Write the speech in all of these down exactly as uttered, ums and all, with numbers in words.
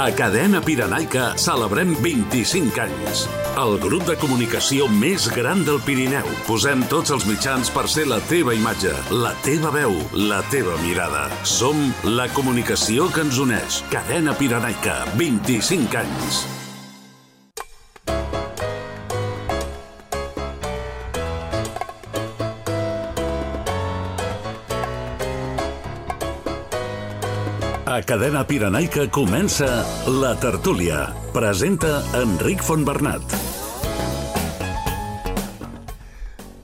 A Cadena Pirenaica celebrem vint-i-cinc anys. El grup de comunicació més gran del Pirineu. Posem tots els mitjans per ser la teva imatge, la teva veu, la teva mirada. Som la comunicació que ens uneix. Cadena Pirenaica, vint-i-cinc anys. A Cadena Pirenaica comença La Tertúlia. Presenta Enric Fontbernat.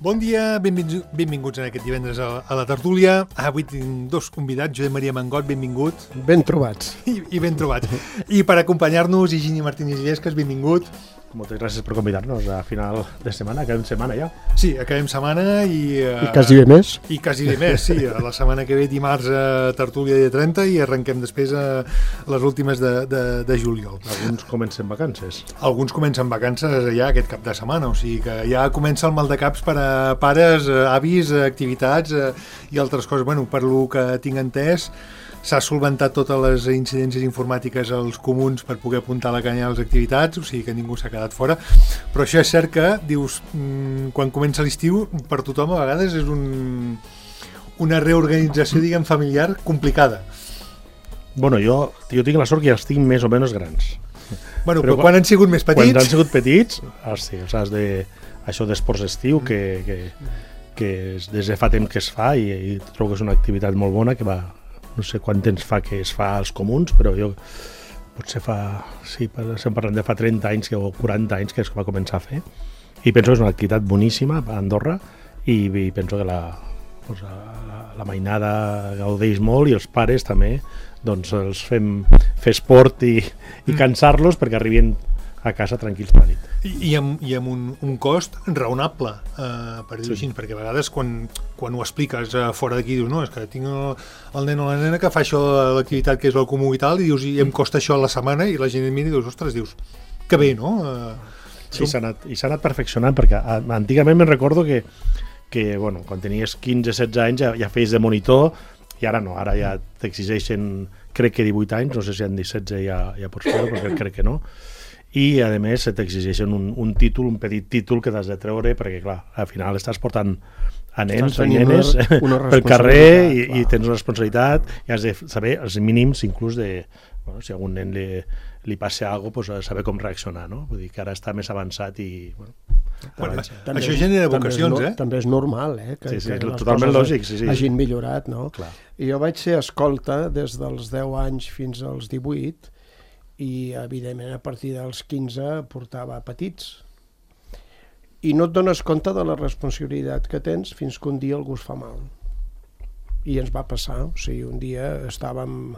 Bon dia, benvinguts, benvinguts en aquest divendres a, a La Tertúlia. Avui tinc dos convidats, Josep Maria Mangot, benvingut. Ben trobats. I, i ben trobats. I per acompanyar-nos, Higini Martínez Illescas, benvingut. Moltes gràcies per convidar-nos a final de setmana, acabem setmana ja. Sí, acabem setmana i... Uh, I quasi bé més. I quasi bé més, sí. La setmana que ve, dimarts, a Tertúlia dia trenta i arrenquem després a les últimes de, de, de juliol. Alguns comencen vacances. Alguns comencen vacances ja aquest cap de setmana, o sigui que ja comença el mal de caps per a pares, avis, activitats eh, i altres coses. Bueno, per lo que tinc entès, s'ha solventat totes les incidències informàtiques als comuns per poder apuntar la canya a les activitats, o sigui que ningú s'ha quedat fora. Però això és cert que, dius, quan comença l'estiu, per tothom a vegades és un, una reorganització, diguem, familiar complicada. Bueno, jo, jo tinc la sort que ja els tinc més o menys grans. Bueno, però, però quan, quan han sigut més petits... Quan han sigut petits, hosti, saps, de, això d'esports d'estiu, que, que, que des de fa temps que es fa i, i trobo que és una activitat molt bona que va... No sé quant temps fa que es fa als comuns, però jo potser fa, sí, estem parlant de fa trenta anys o quaranta anys que es va començar a fer. I penso que és una activitat boníssima a Andorra i, i penso que la, doncs, la, la mainada gaudeix molt i els pares també doncs, els fem fer esport i, i cansar-los perquè arribin a casa tranquils per la nit. I, i amb, i amb un, un cost raonable, eh, per dir-ho així, perquè a vegades quan, quan ho expliques eh, fora d'aquí dius, no, és que tinc el, el nen o la nena que fa això, l'activitat que és el comú i tal, i dius, i em costa això a la setmana, i la gent et mira i dius, ostres, dius, que bé, no? Eh, sí, s'ha anat, i s'ha anat perfeccionant, perquè antigament me'n recordo que, que bueno, quan tenies quinze setze anys ja, ja feies de monitor, i ara no, ara ja t'exigeixen, crec que divuit anys, no sé si han dit setze ja, ja pots fer-ho, perquè crec que no, i a més t'exigeixen un, un títol, un petit títol que t'has de treure perquè clar, al final estàs portant a nens o nenes una, una pel carrer i, i tens una responsabilitat i has de saber els mínims inclús de, bueno, si a algun nen li, li passa alguna cosa, pues, saber com reaccionar, no? Vull dir que ara està més avançat i... Bueno, bueno, també, això genera vocacions, també eh? També és normal, eh? Que, sí, sí, que totalment lògic, sí, sí. Hagin millorat, no? Clar. I jo vaig ser escolta des dels deu anys fins als divuit i evidentment a partir dels quinze portava petits i no et dones compte de la responsabilitat que tens fins que un dia algú es fa mal i ens va passar, o sigui, un dia estàvem,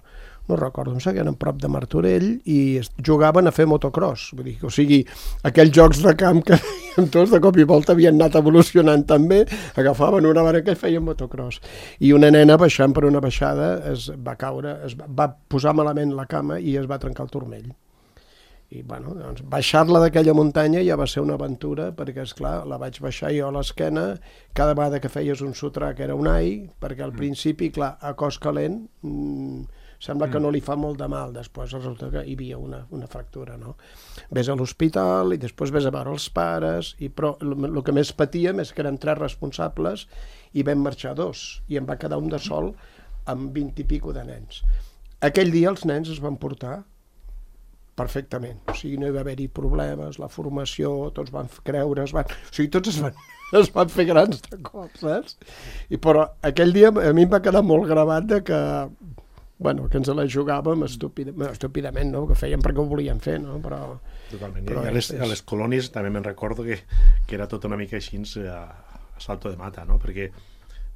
no recordo, em seguien prop de Martorell i jugaven a fer motocross, vull dir, o sigui, aquells jocs de camp que fèiem tots de cop i volta havien anat evolucionant també, agafaven una barca i feien motocross, i una nena baixant per una baixada es va caure, es va posar malament la cama i es va trencar el turmell. I bueno, doncs baixar-la d'aquella muntanya ja va ser una aventura, perquè esclar, la vaig baixar jo a l'esquena, cada vegada que feies un sotrac era un ai, perquè al principi, clar, a cos calent, mmm, sembla que no li fa molt de mal, després resulta que hi havia una, una fractura, no? Ves a l'hospital i després ves a veure els pares, i, però el que més patíem és que érem tres responsables i vam marxar dos, i em va quedar un de sol amb vint i pico de nens. Aquell dia els nens es van portar perfectament, o sigui, no hi va haver-hi problemes, la formació, tots van creure, es van... o sigui, tots es van, es van fer grans de cop, saps? I però aquell dia a mi em va quedar molt gravat de que, bueno, que ens la jugàvem estúpidament, estúpidament, no?, que fèiem perquè ho volíem fer, no?, però... Totalment, però i a les, a les colònies també me'n recordo que, que era tot una mica així a, a salto de mata, no?, perquè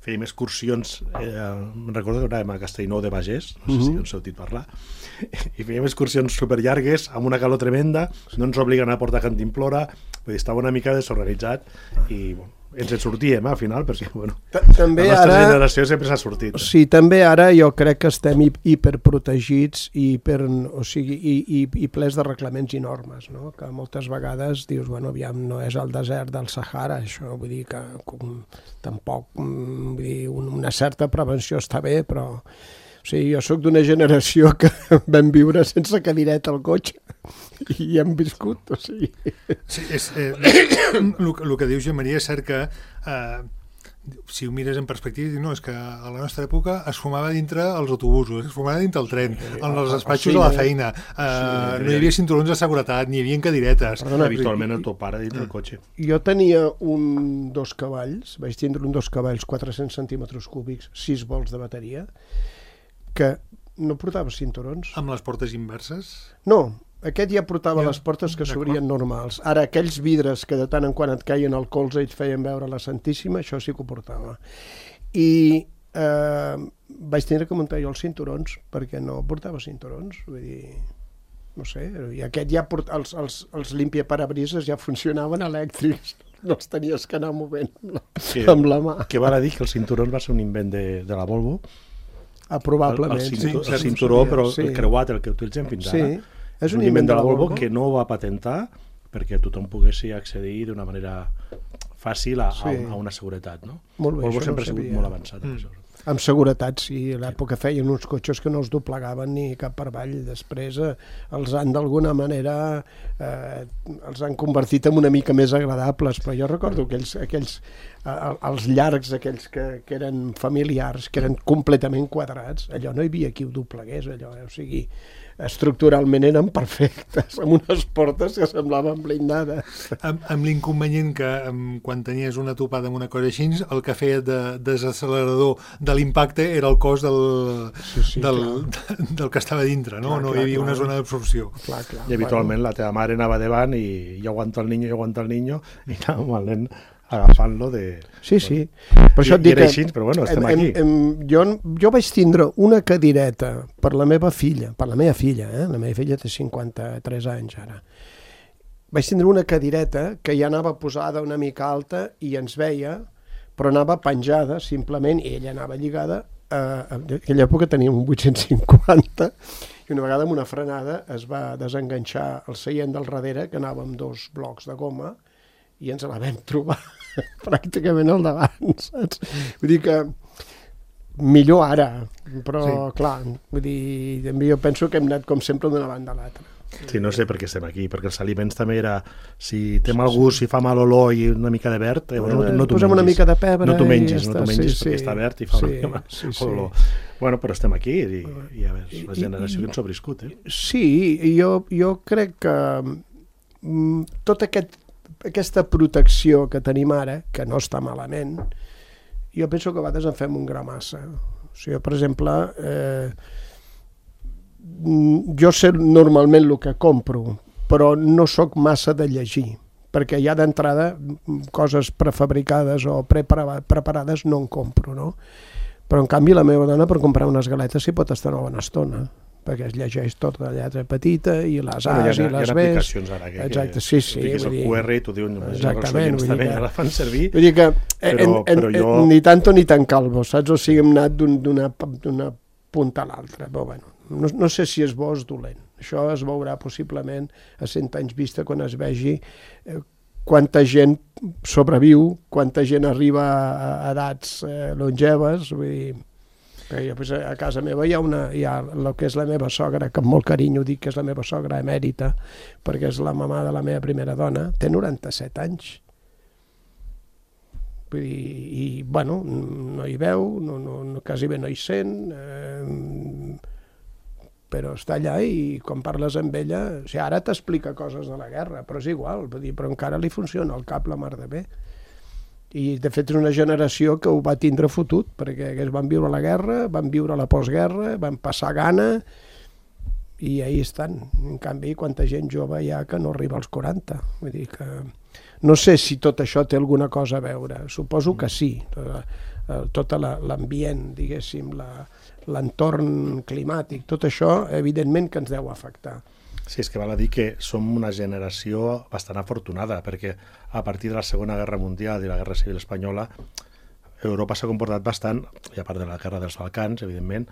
fèiem excursions, eh, me'n recordo que anàvem a Castellnou de Bages, no sé si ens heu sentit parlar, i fèiem excursions superllargues, amb una calor tremenda, no ens obliguen a portar cantimplora, vull dir, estava una mica desorganitzat, i bueno, ens en sortíem, eh, al final, perquè bueno, també la nostra ara, generació sempre s'ha sortit. Sí, també ara jo crec que estem hiperprotegits i, hiper, o sigui, i, i, i plens de reglaments i normes, no? Que moltes vegades dius, bueno, aviam, no és el desert del Sahara, això, vull dir que com, tampoc, vull dir, una certa prevenció està bé, però Sí, jo sóc d'una generació que vam viure sense cadireta al cotxe i hem viscut, o sigui... Sí, és, eh, el, el que dius, Joan Maria, és cert que eh, si ho mires en perspectiva, no, és que a la nostra època es fumava dintre els autobusos, es fumava dintre el tren, en els despatxos a la feina, eh, sí, no hi havia cinturons de seguretat, ni hi havia cadiretes. Perdona, habitualment el teu pare dintre el cotxe. Jo tenia un dos cavalls, vaig tindre un dos cavalls, quatre-cents centímetres cúbics, sis volts de bateria, que no portava cinturons. Amb les portes inverses? No, aquest ja portava ja, les portes que s'obrien normals. Ara, aquells vidres que de tant en quant et caien al colze i et feien veure la Santíssima, això sí que ho portava. I eh, vaig tenir que muntar jo els cinturons, perquè no portava cinturons, vull dir... No sé, i aquest ja port... els, els, els limpiaparabrises ja funcionaven elèctrics, no els tenies que anar movent amb la, que, amb la mà. Que val a dir que el cinturó va ser un invent de, de la Volvo. Ah, probablement. El, el, cinturó, sí, el cinturó, però sí. el creuat, el que utilitzem fins ara, sí. és un invent de la Volvo que no va patentar perquè tothom pogués accedir d'una manera fàcil a, sí. a, a una seguretat. No? Molt bé, Volvo sempre no ha sigut molt avançat en mm. això. Amb seguretat, sí. A l'època feien uns cotxes que no els doblegaven ni cap per avall. Després eh, els han d'alguna manera eh, els han convertit en una mica més agradables, però jo recordo aquells, aquells eh, els llargs, aquells que, que eren familiars, que eren completament quadrats, allò no hi havia qui ho doblegués, allò, eh? O sigui, estructuralment eren perfectes, amb unes portes que semblaven blindades. Amb, amb l'inconvenient que amb, quan tenies una topada amb una cosa així, el que feia de desacelerador de l'impacte era el cos del, sí, sí, del, del que estava dintre, no? Clar, no clar, hi havia clar. Una zona d'absorció. I habitualment bueno. La teva mare anava davant i jo aguanto el niño, jo aguanto el niño, i anàvem al nen agafant-lo de... Sí, sí. Per això et dic que... Així, però bueno, estem em, aquí. Em, jo, jo vaig tindre una cadireta per la meva filla, per la meva filla, eh? La meva filla té cinquanta-tres anys ara. Vaig tindre una cadireta que ja anava posada una mica alta i ens veia, però anava penjada simplement, i ella anava lligada, eh, en aquella època tenia un vuit-cents cinquanta, i una vegada amb una frenada es va desenganxar el seient del darrere, que anava amb dos blocs de goma, i ens la vam trobar pràcticament al davant, saps? Vull dir que millor ara, però sí. Clar, vull dir, jo penso que hem anat com sempre d'una banda a l'altra. Sí, no sé per què estem aquí, perquè els aliments també era, si té mal gust, si fa mal olor i una mica de verd, eh, no, no t'ho mengis. Una mica de pebre no t'ho mengis, i no t'ho mengis sí, perquè sí. Està verd i fa sí, una mica sí, sí. olor. Bueno, però estem aquí i, i a veure, la generació que ens sobreviscut, eh? Sí, jo, jo crec que mm, tot aquest aquesta protecció que tenim ara, que no està malament, jo penso que a vegades en fem un gra massa. O sigui, per exemple, eh, jo sé normalment el que compro, però no sóc massa de llegir, perquè ja d'entrada coses prefabricades o preparades no en compro, no? Però en canvi la meva dona per comprar unes galetes s'hi pot estar una bona estona, perquè es llegeix tota la lletra petita i les A's i les B's. Hi ha aplicacions ara que, exacte, sí, sí, que fiques el Q R i t'ho diuen, exactament, els també ja la fan servir. Vull dir que però, en, en, però jo... ni tanto ni tan calvo, saps? O sigui, hem anat d'una punta a l'altra, però bueno, no, no sé si és bo o és dolent. Això es veurà possiblement a cent anys vista quan es vegi eh, quanta gent sobreviu, quanta gent arriba a edats eh, longeves, vull dir... Jo, pues, a casa meva hi ha, una, hi ha el que és la meva sogra, que amb molt carinyo dic que és la meva sogra emèrita, perquè és la mamà de la meva primera dona, té noranta-set anys. Vull dir, i, bueno, no hi veu, no, no, no, quasi bé no hi sent, eh, però està allà i quan parles amb ella, o sigui, ara t'explica coses de la guerra, però és igual, vull dir, però encara li funciona el cap la mar de bé. I de fet és una generació que ho va tindre fotut, perquè ells van viure la guerra, van viure la postguerra, van passar gana i ahí estan. En canvi, quanta gent jove hi ha que no arriba als quaranta. Vull dir que no sé si tot això té alguna cosa a veure, suposo que sí, tot l'ambient, diguéssim, l'entorn climàtic, tot això evidentment que ens deu afectar. Sí, és que val a dir que som una generació bastant afortunada, perquè a partir de la Segona Guerra Mundial i la Guerra Civil Espanyola, Europa s'ha comportat bastant, i a part de la Guerra dels Balcans, evidentment,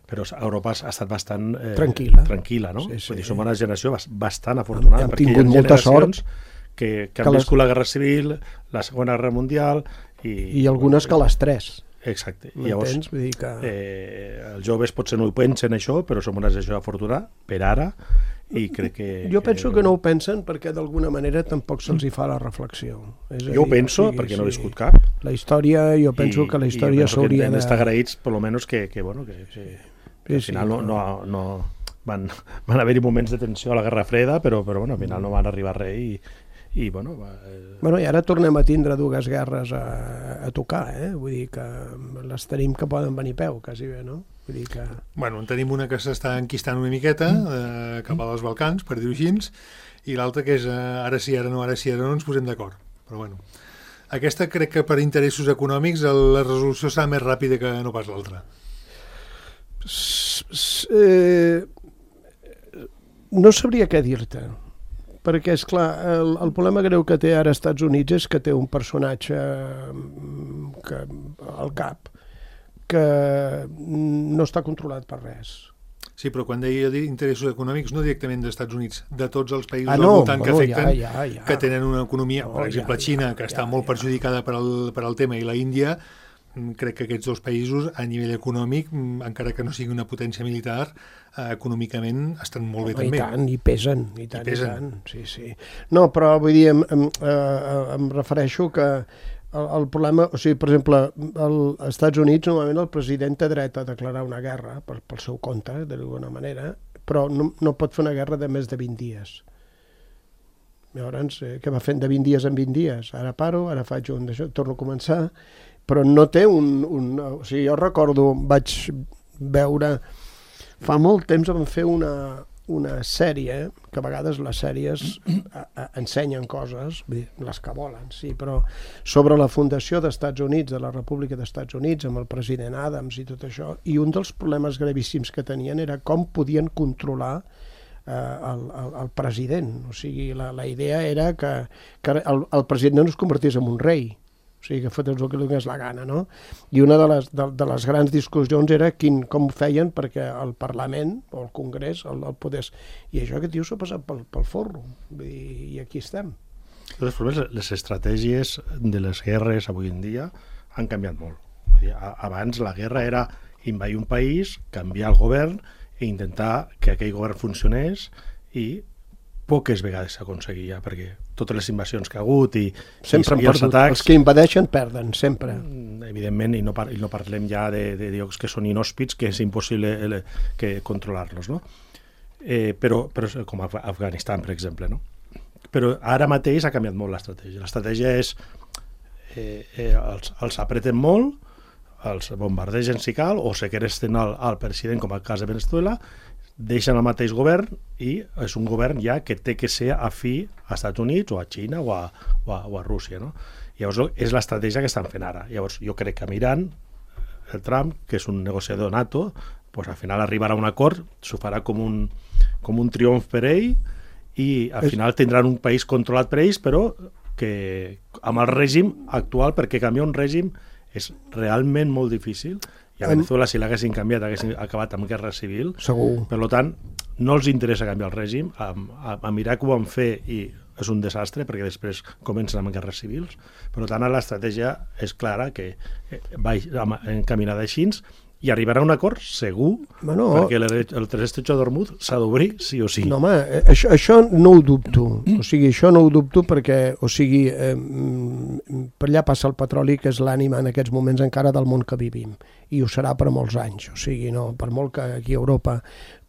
però Europa ha estat bastant eh, tranquil·la. tranquil·la, no? Sí, sí. Vull dir, som una generació bastant afortunada, hem, hem perquè hi ha generacions que, que han que les... viscut la Guerra Civil, la Segona Guerra Mundial... I, I algunes que les tres. Exacte. M'entens? Vull dir que... eh, els joves potser no ho pensen això, però som una generació afortunada per ara, i crec que... Jo penso que no ho pensen perquè d'alguna manera tampoc se'ls hi fa la reflexió. És jo ho penso, o sigui, perquè no he sí. viscut cap. La història, jo penso I, que la història s'hauria de... I d'estar agraïts, per lo menos, que, que, bueno, que, que, que al final no, no, no van, van haver-hi moments de tensió a la Guerra Freda, però, però bueno, al final no van arribar a res i, i bueno... Va, eh... Bueno, i ara tornem a tindre dues guerres a, a tocar, eh? Vull dir que les tenim que poden venir peu, quasi bé, no? Vull dir que... Bueno, en tenim una que s'està enquistant una miqueta eh, cap als Balcans, per dir-ho així, i l'altra que és eh, ara sí, ara no, ara sí, ara no ens posem d'acord. Però bueno, aquesta crec que per interessos econòmics la resolució serà més ràpida que no pas l'altra. Eh, no sabria què dir-te, perquè, és clar, el, el problema greu que té ara als Estats Units és que té un personatge que, al cap que no està controlat per res. Sí, però quan deia interessos econòmics, no directament dels Estats Units, de tots els països ah, no, al voltant bueno, que afecten, ja, ja, ja. que tenen una economia, no, per exemple, ja, Xina, ja, que està ja, molt ja. perjudicada per al, per al tema, i la Índia, crec que aquests dos països, a nivell econòmic, encara que no sigui una potència militar, eh, econòmicament estan molt bé no, també. I tant, i pesen, i tant, I pesen. i tant. Sí, sí. No, però vull dir, em, em, eh, em refereixo que el, el problema, o sigui, per exemple, als Estats Units normalment el president té dret a declarar una guerra per, pel seu compte, d'alguna manera, però no, no pot fer una guerra de més de vint dies. Llavors, eh, què va fent de vint dies en vint dies? Ara paro, ara faig un d'això, torno a començar, però no té un, un... O sigui, jo recordo, vaig veure... Fa molt temps vam fer una, una sèrie, que a vegades les sèries a, a, ensenyen coses, les que volen, sí, però sobre la fundació dels Estats Units, de la República dels Estats Units, amb el president Adams i tot això, i un dels problemes gravíssims que tenien era com podien controlar eh, el, el, el president. O sigui, la, la idea era que, que el, el president no es convertís en un rei, o sigui, que fotés el que li donés la gana, no? I una de les, de, de les grans discussions era quin, com ho feien perquè el Parlament o el Congrés el, el podés... I això que tio s'ha passat pel, pel forro, i, i aquí estem. Les estratègies de les guerres avui en dia han canviat molt. Vull dir, abans la guerra era invadir un país, canviar el govern i intentar que aquell govern funcionés, i poques vegades s'aconseguia, perquè totes les invasions que ha hagut i, sempre i, i els atacs... Els que invadeixen perden, sempre. Evidentment, i no, par i no parlem ja de, de llocs que són inhòspits, que és impossible eh, que controlar-los, no? Eh, però, però com Af Afganistan, per exemple, no? Però ara mateix ha canviat molt l'estratègia. L'estratègia és eh, eh, els, els apreten molt, els bombardegen si cal, o segresten al, al president, com el cas de Venezuela, deixen el mateix govern i és un govern ja que té que ser afí als Estats Units o a Xina o a, o a, o a Rússia, no? Llavors és l'estratègia que estan fent ara. Llavors jo crec que mirant el Trump, que és un negociador nato, pues al final arribarà a un acord, s'ho farà com un, com un triomf per ell, i al és... final tindran un país controlat per ells, però que amb el règim actual, perquè canviar un règim és realment molt difícil. I a Venezuela, si l'haguessin canviat, haguessin acabat amb guerra civil. Segur. Per tant, no els interessa canviar el règim. A, a, a mirar que ho van fer i és un desastre, perquè després comencen amb guerres civils. Per tant, l'estratègia és clara, que va encaminada així, i arribarà a un acord segur, bueno, perquè el, el Estretxo d'Hormuz s'ha d'obrir sí o sí. No, home, això, això no ho dubto. O sigui, això no ho dubto perquè, o sigui, eh, per allà passa el petroli, que és l'ànima en aquests moments encara del món que vivim, i ho serà per molts anys. O sigui, no, per molt que aquí a Europa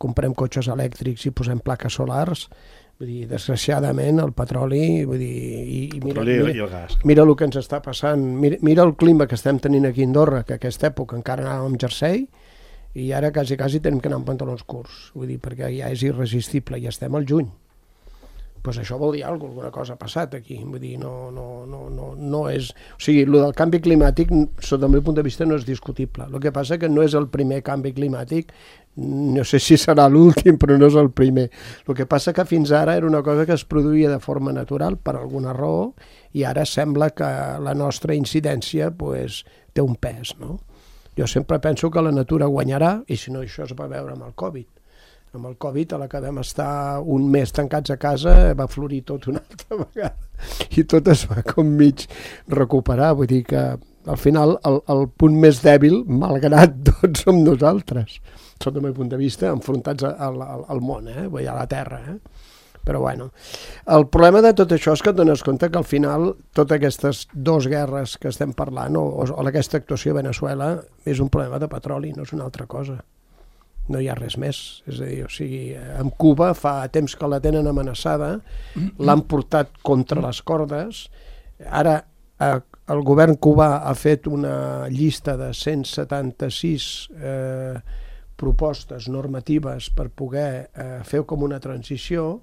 comprem cotxes elèctrics i posem plaques solars, vull dir, desgraciadament el petroli, vull dir, i, i mira, mira, i el gas. Mira el que ens està passant, mira, mira el clima que estem tenint aquí a Andorra, que a aquesta època encara anàvem amb jersei i ara quasi, quasi tenim que anar amb pantalons curts, vull dir, perquè ja és irresistible i estem al juny. Pues això vol dir alguna cosa, alguna cosa ha passat aquí, vull dir, no, no, no, no, no és... O sigui, el del canvi climàtic, sota el meu punt de vista, no és discutible. El que passa que no és el primer canvi climàtic, no sé si serà l'últim, però no és el primer. El que passa que fins ara era una cosa que es produïa de forma natural, per alguna raó, i ara sembla que la nostra incidència pues, té un pes, no? Jo sempre penso que la natura guanyarà, i si no, això es va veure amb el Covid. Amb el Covid, a la que vam estar un mes tancats a casa, va florir tot una altra vegada i tot es va com mig recuperar. Vull dir que Al final, el, el punt més dèbil, malgrat tot, som nosaltres, sota el meu punt de vista, enfrontats al, al, al món, eh? Vull dir, a la Terra. Eh? Però bueno, el problema de tot això és que et dones compte que al final totes aquestes dues guerres que estem parlant, o, o, o aquesta actuació a Veneçuela, és un problema de petroli, no és una altra cosa. No hi ha res més. És a dir, o sigui, amb Cuba fa temps que la tenen amenaçada, l'han portat contra les cordes, ara eh, el govern cubà ha fet una llista de cent setanta-sis eh, propostes normatives per poder eh, fer com una transició,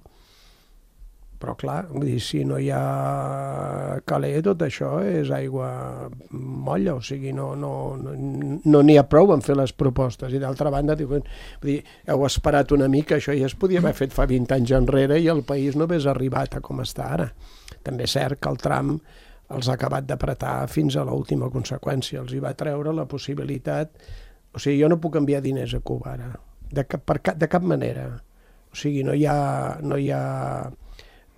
però clar, vull dir, si no hi ha calé, tot això és aigua molla, o sigui, no n'hi no, no, no ha prou en fer les propostes. I d'altra banda, diuen, vull dir, heu esperat una mica, això ja es podia haver fet fa vint anys enrere i el país no hagués arribat a com està ara. També és cert que el Trump els ha acabat d'apretar fins a l'última conseqüència, els hi va treure la possibilitat, o sigui, jo no puc enviar diners a Cuba ara, de cap, per cap, de cap manera, o sigui, no hi ha, no hi ha,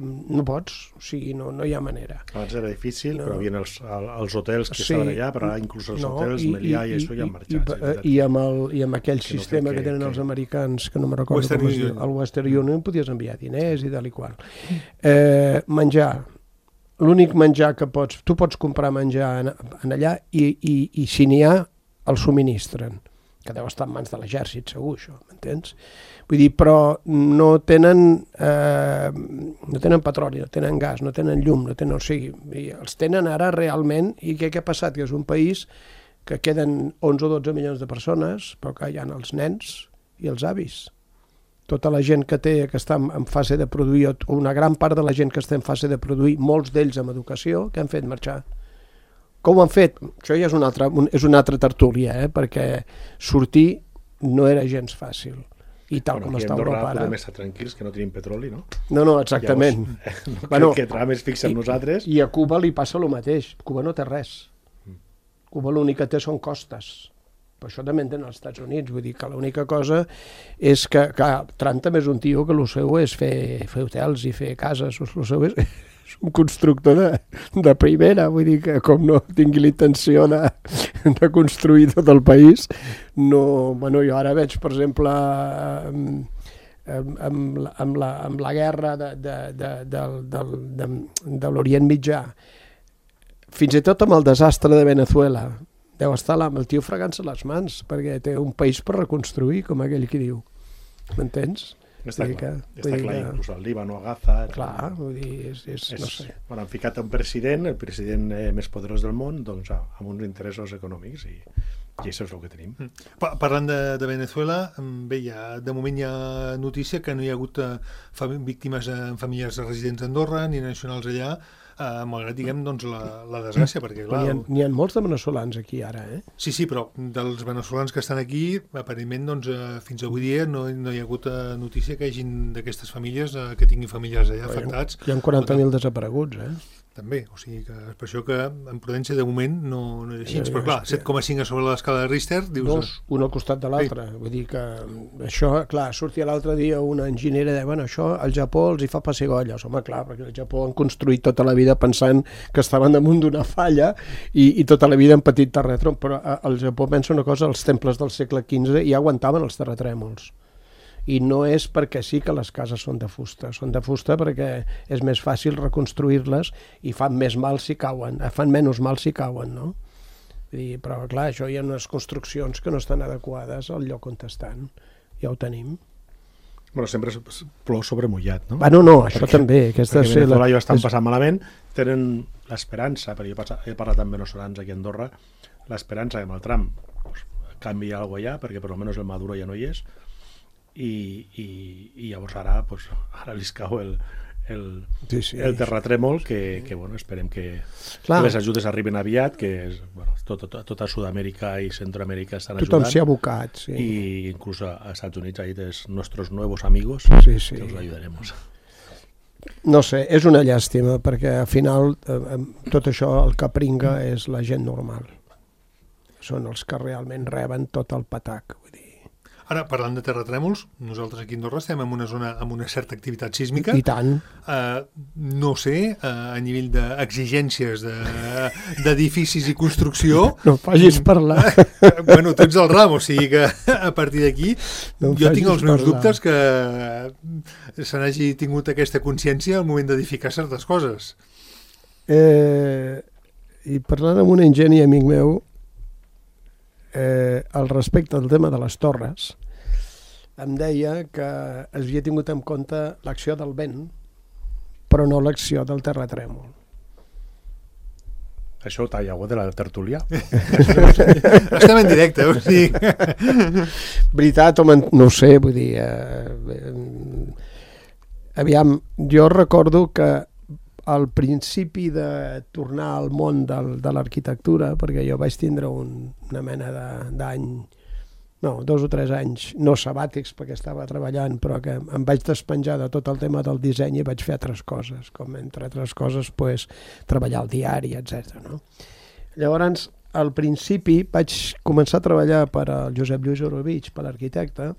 no pots, o sigui, no, no hi ha manera. Abans era difícil, no. Però hi havia els, els hotels que sí, estaven allà, però ara inclús els no, hotels, i, Melià i, i això ja han marxat. I, i, i, amb, el, i amb aquell que sistema no que, que tenen que... els americans, que no me recordo Western com es diu, el Western Union, podies enviar diners i tal i qual. Eh, menjar, l'únic menjar que pots, tu pots comprar menjar en, en allà i, i, i si n'hi ha, el subministren, que deu estar en mans de l'exèrcit, segur, això, m'entens? Vull dir, però no tenen, eh, no tenen petroli, no tenen gas, no tenen llum, no tenen, o sigui, els tenen ara realment, i què, què ha passat? Que és un país que queden onze o dotze milions de persones, però que hi ha els nens i els avis. Tota la gent que té, que està en fase de produir, o una gran part de la gent que està en fase de produir, molts d'ells amb educació, que han fet marxar. Com ho han fet? Això ja és una altra, és una altra tertúlia, eh? Perquè sortir no era gens fàcil. I tal bueno, com està Europa ara... podem estar tranquils que no tenim petroli, no? No, no, exactament. Llavors, no bueno, que Trump es fixa en nosaltres. I a Cuba li passa el mateix. Cuba no té res. Cuba l'únic que té són costes. Però això també en tenen als Estats Units, vull dir que l'única cosa és que, que Trump també és un tio que el seu és fer, fer hotels i fer cases, el seu és, és un constructor de, de primera, vull dir que com no tingui la intenció de, de construir tot el país, no, bueno, jo ara veig, per exemple, amb, amb, amb, la, amb la guerra de, de, de, de, de, de, de l'Orient Mitjà, fins i tot amb el desastre de Veneçuela, deu estar amb el tio fregant-se les mans, perquè té un país per reconstruir, com aquell qui diu. M'entens? Està clar, que, està clar, que... inclús el Líbano, a Gaza... Clar, vull dir, és, és, és no sé. Bueno, han ficat un president, el president eh, més poderós del món, doncs amb uns interessos econòmics, i, i això és el que tenim. Pa Parlant de, de Veneçuela, bé, ja, de moment hi ha notícia que no hi ha hagut eh, víctimes en famílies residents d'Andorra, ni nacionals allà, Uh, malgrat, diguem, doncs, la, la desgràcia, perquè, clar... N'hi ha, n'hi ha molts de veneçolans aquí, ara, eh? Sí, sí, però dels veneçolans que estan aquí, aparentment, doncs, uh, fins avui dia no, no hi ha hagut uh, notícia que hagin d'aquestes famílies, uh, que tinguin famílies allà afectats. Hi ha quaranta mil desapareguts, eh? També, o sigui que és per això que en Prudència de moment no, no és així, però clar, set coma cinc a sobre l'escala de Richter, dius... Dos, un al costat de l'altre, sí. Vull dir que això, clar, sortia l'altre dia una enginyera i deia, bueno, això al Japó els hi fa pessigolles, home, clar, perquè al Japó han construït tota la vida pensant que estaven damunt d'una falla i, i tota la vida han patit terratrèmols, però al Japó pensa una cosa, els temples del segle quinze ja aguantaven els terratrèmols. I no és perquè sí que les cases són de fusta, són de fusta perquè és més fàcil reconstruir-les i fan més mal si cauen, fan menys mal si cauen, no? I, però clar, això hi ha unes construccions que no estan adequades al lloc on estan, ja ho tenim. Bueno, sempre plou sobre mullat, no? Bueno, no, això perquè, també. Aquesta perquè Veneçuela ja estan passant malament, tenen l'esperança, perquè jo he parlat amb veneçolans aquí a Andorra, l'esperança que amb el Trump pues, canvi alguna cosa allà, perquè per almenys el Maduro ja no hi és, i, i, i llavors ara, pues, ara li cau el, el, sí, sí, el terratrèmol que, que bueno, esperem que, que les ajudes arriben aviat, que és, bueno, tot, tot, tota Sud-amèrica i Centroamèrica estan ajudant. Tothom s'hi ha abocat, sí. I inclús als Estats Units ahí és nostres nuevos amigos, sí, sí. Que els ajudaremos. No sé, és una llàstima, perquè al final eh, tot això el que pringa és la gent normal. Són els que realment reben tot el patac, vull dir. Ara, parlant de terratrèmols, nosaltres aquí a Andorra estem en una zona amb una certa activitat sísmica. I tant. Uh, no sé, uh, a nivell d'exigències d'edificis de, i construcció... No em facis parlar. Bueno, tu ets el ram, o sigui que a partir d'aquí no jo tinc els meus parlar. dubtes que se n'hagi tingut aquesta consciència al moment d'edificar certes coses. Eh, I parlant amb un enginy amic meu, eh, al respecte del tema de les torres, em deia que es havia tingut en compte l'acció del vent, però no l'acció del terratrèmol. Això ho talla de la tertúlia. Estem en directe, o sigui... Veritat, home, no ho sé, vull dir... Eh, eh, aviam, jo recordo que al principi de tornar al món del, de l'arquitectura, perquè jo vaig tindre un, una mena d'any, no, dos o tres anys, no sabàtics perquè estava treballant, però que em vaig despenjar de tot el tema del disseny i vaig fer altres coses, com entre altres coses pues, treballar al diari, etcètera. No? Llavors, al principi vaig començar a treballar per al Josep Lluís Orovich, per l'arquitecte,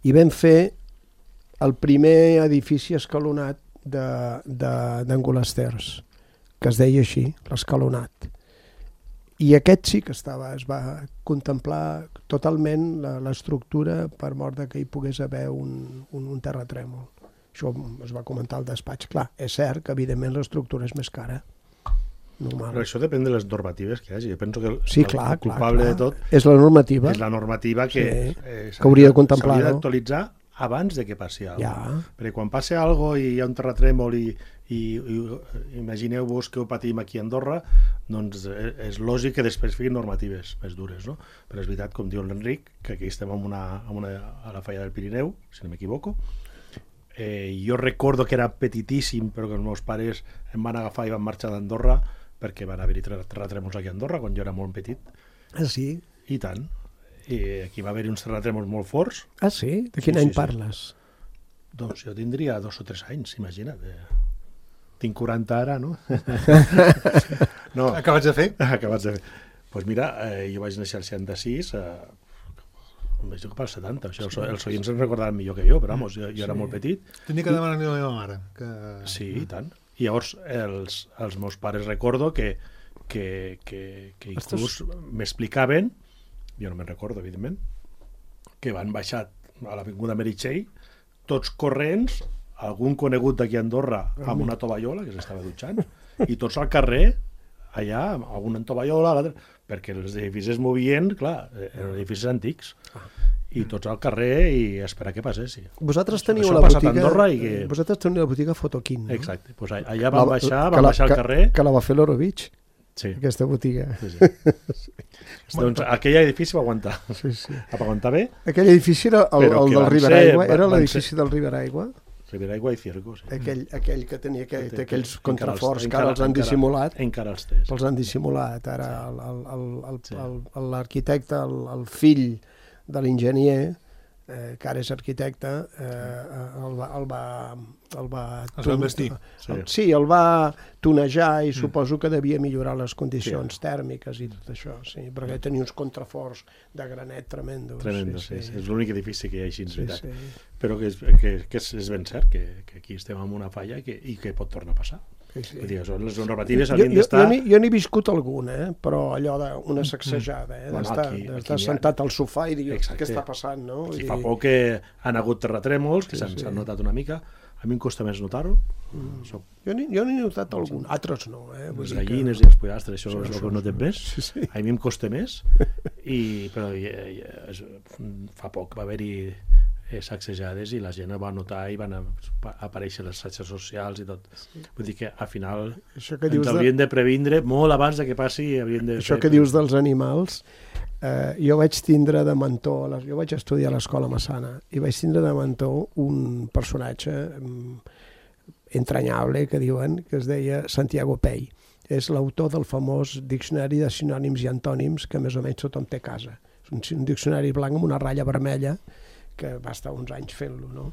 i vam fer el primer edifici escalonat d'Angolasters, que es deia així, l'escalonat. I aquest sí que estava, es va contemplar totalment l'estructura per mort que hi pogués haver un, un, un terratrèmol. Això es va comentar al despatx. Clar, és cert que evidentment l'estructura és més cara. Normal. Però això depèn de les normatives que hi hagi. Jo penso que el, sí, clar, el culpable clar, clar. de tot és la normativa. És la normativa que, sí, eh, que hauria de contemplar. S'hauria d'actualitzar abans de que passi alguna cosa. Ja. Perquè quan passi alguna cosa i hi ha un terratrèmol i, i, i imagineu-vos que ho patim aquí a Andorra, doncs és lògic que després fiquin normatives més dures, no? Però és veritat, com diu l'Enric, que aquí estem en una, en una, a la falla del Pirineu, si no m'equivoco. Eh, jo recordo que era petitíssim, però que els meus pares em van agafar i van marxar d'Andorra perquè van haver-hi terratrèmols aquí a Andorra quan jo era molt petit. Ah, sí? I tant. I aquí va haver-hi uns terratrèmols molt forts. Ah, sí? De quin sí, any sí, parles? Sí. Doncs jo tindria dos o tres anys, imagina't. Tinc quaranta ara, no? no. Acabats de fer? Acabats de fer. Doncs pues mira, eh, jo vaig néixer al seixanta-sis, eh, em vaig dir que pel setanta, això, sí, els oients em recordaran millor que jo, però vamos, jo, jo sí. era molt petit. Tenia que demanar a la meva mare. Que... Sí, i tant. I llavors els, els meus pares recordo que, que, que, que inclús Estàs... m'explicaven, jo no me'n recordo, evidentment, que van baixar a l'avinguda Meritxell, tots corrents, algun conegut d'aquí a Andorra amb una tovallola, que s'estava dutxant, i tots al carrer, allà, amb una tovallola, perquè els edificis es movien, clar, eren edificis antics, i tots al carrer i esperar que passessi. Vosaltres teniu Això la botiga, Andorra i que... vosaltres teniu la botiga Fotoquín, no? Exacte, pues allà van baixar, van baixar al carrer... Que la va fer l'Orovich. Sí. Aquesta botiga. Sí, sí. Doncs aquell edifici va aguantar. Sí, sí. Va aguantar bé. Aquell edifici era el, el del Riberaigua, era l'edifici del Riberaigua. Riberaigua i Cierco, sí. Aquell, aquell que tenia que, té aquells encara contraforts els, que ara els han dissimulat. Encara els té. Els han dissimulat. Ara l'arquitecte, el, el, el fill de l'enginyer, eh, que ara és arquitecte, eh, el va... El va el va, es va investir. Sí. sí, el va tunejar i mm. suposo que devia millorar les condicions sí. tèrmiques i tot això, sí, perquè tenia uns contraforts de granet tremendos. Tremendos, sí, sí. sí. És l'únic edifici que hi ha així, en sí, veritat. Sí. Però que és, que, que és, és ben cert que, que aquí estem amb una falla que, i que pot tornar a passar. Sí, sí. Vull dir, les normatives havien d'estar... Jo, jo n'he viscut alguna, eh? Però allò d'una sacsejada, eh? Bueno, d'estar aquí, aquí aquí sentat al sofà i dir exacte. Què està passant, no? Aquí I... fa poc que han hagut terratrèmols, que s'han sí, sí. notat una mica. A mi em costa més notar-ho. Mm. Soc... Jo n'he notat algun, altres no. Eh? Les gallines que... i els pollastres, això, això és el que no té més. Sí, sí. A mi em costa més, i, però i, i, es, fa poc va haver-hi eh, sacsejades i la gent va notar i van a, a aparèixer les xarxes socials i tot. Sí. Vull dir que al final ens haurien de... de previndre molt abans de que passi. De això fer... que dius dels animals, eh, jo vaig tindre de mentor, jo vaig estudiar a l'escola Massana i vaig tindre de mentor un personatge entranyable que diuen, que es deia Santiago Pey. És l'autor del famós diccionari de sinònims i antònims que més o menys tothom té a casa. És un, un diccionari blanc amb una ratlla vermella que va estar uns anys fent-lo, no?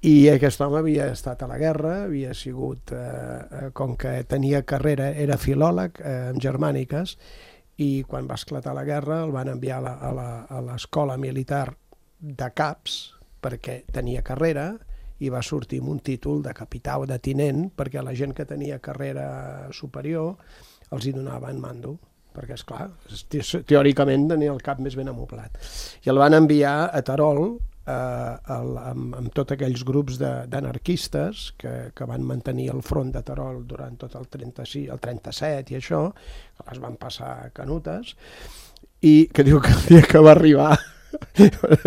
I aquest home havia estat a la guerra, havia sigut, eh, com que tenia carrera, era filòleg eh, en germàniques, i quan va esclatar la guerra el van enviar a l'escola militar de caps perquè tenia carrera i va sortir amb un títol de capità o de tinent perquè la gent que tenia carrera superior els hi donaven mando, perquè, esclar, teòricament tenia el cap més ben amoblat. I el van enviar a Terol eh, el, amb, amb tots aquells grups d'anarquistes que, que van mantenir el front de Terol durant tot el, trenta-sis, el trenta-set i això, que les van passar canutes, i que diu que el dia que va arribar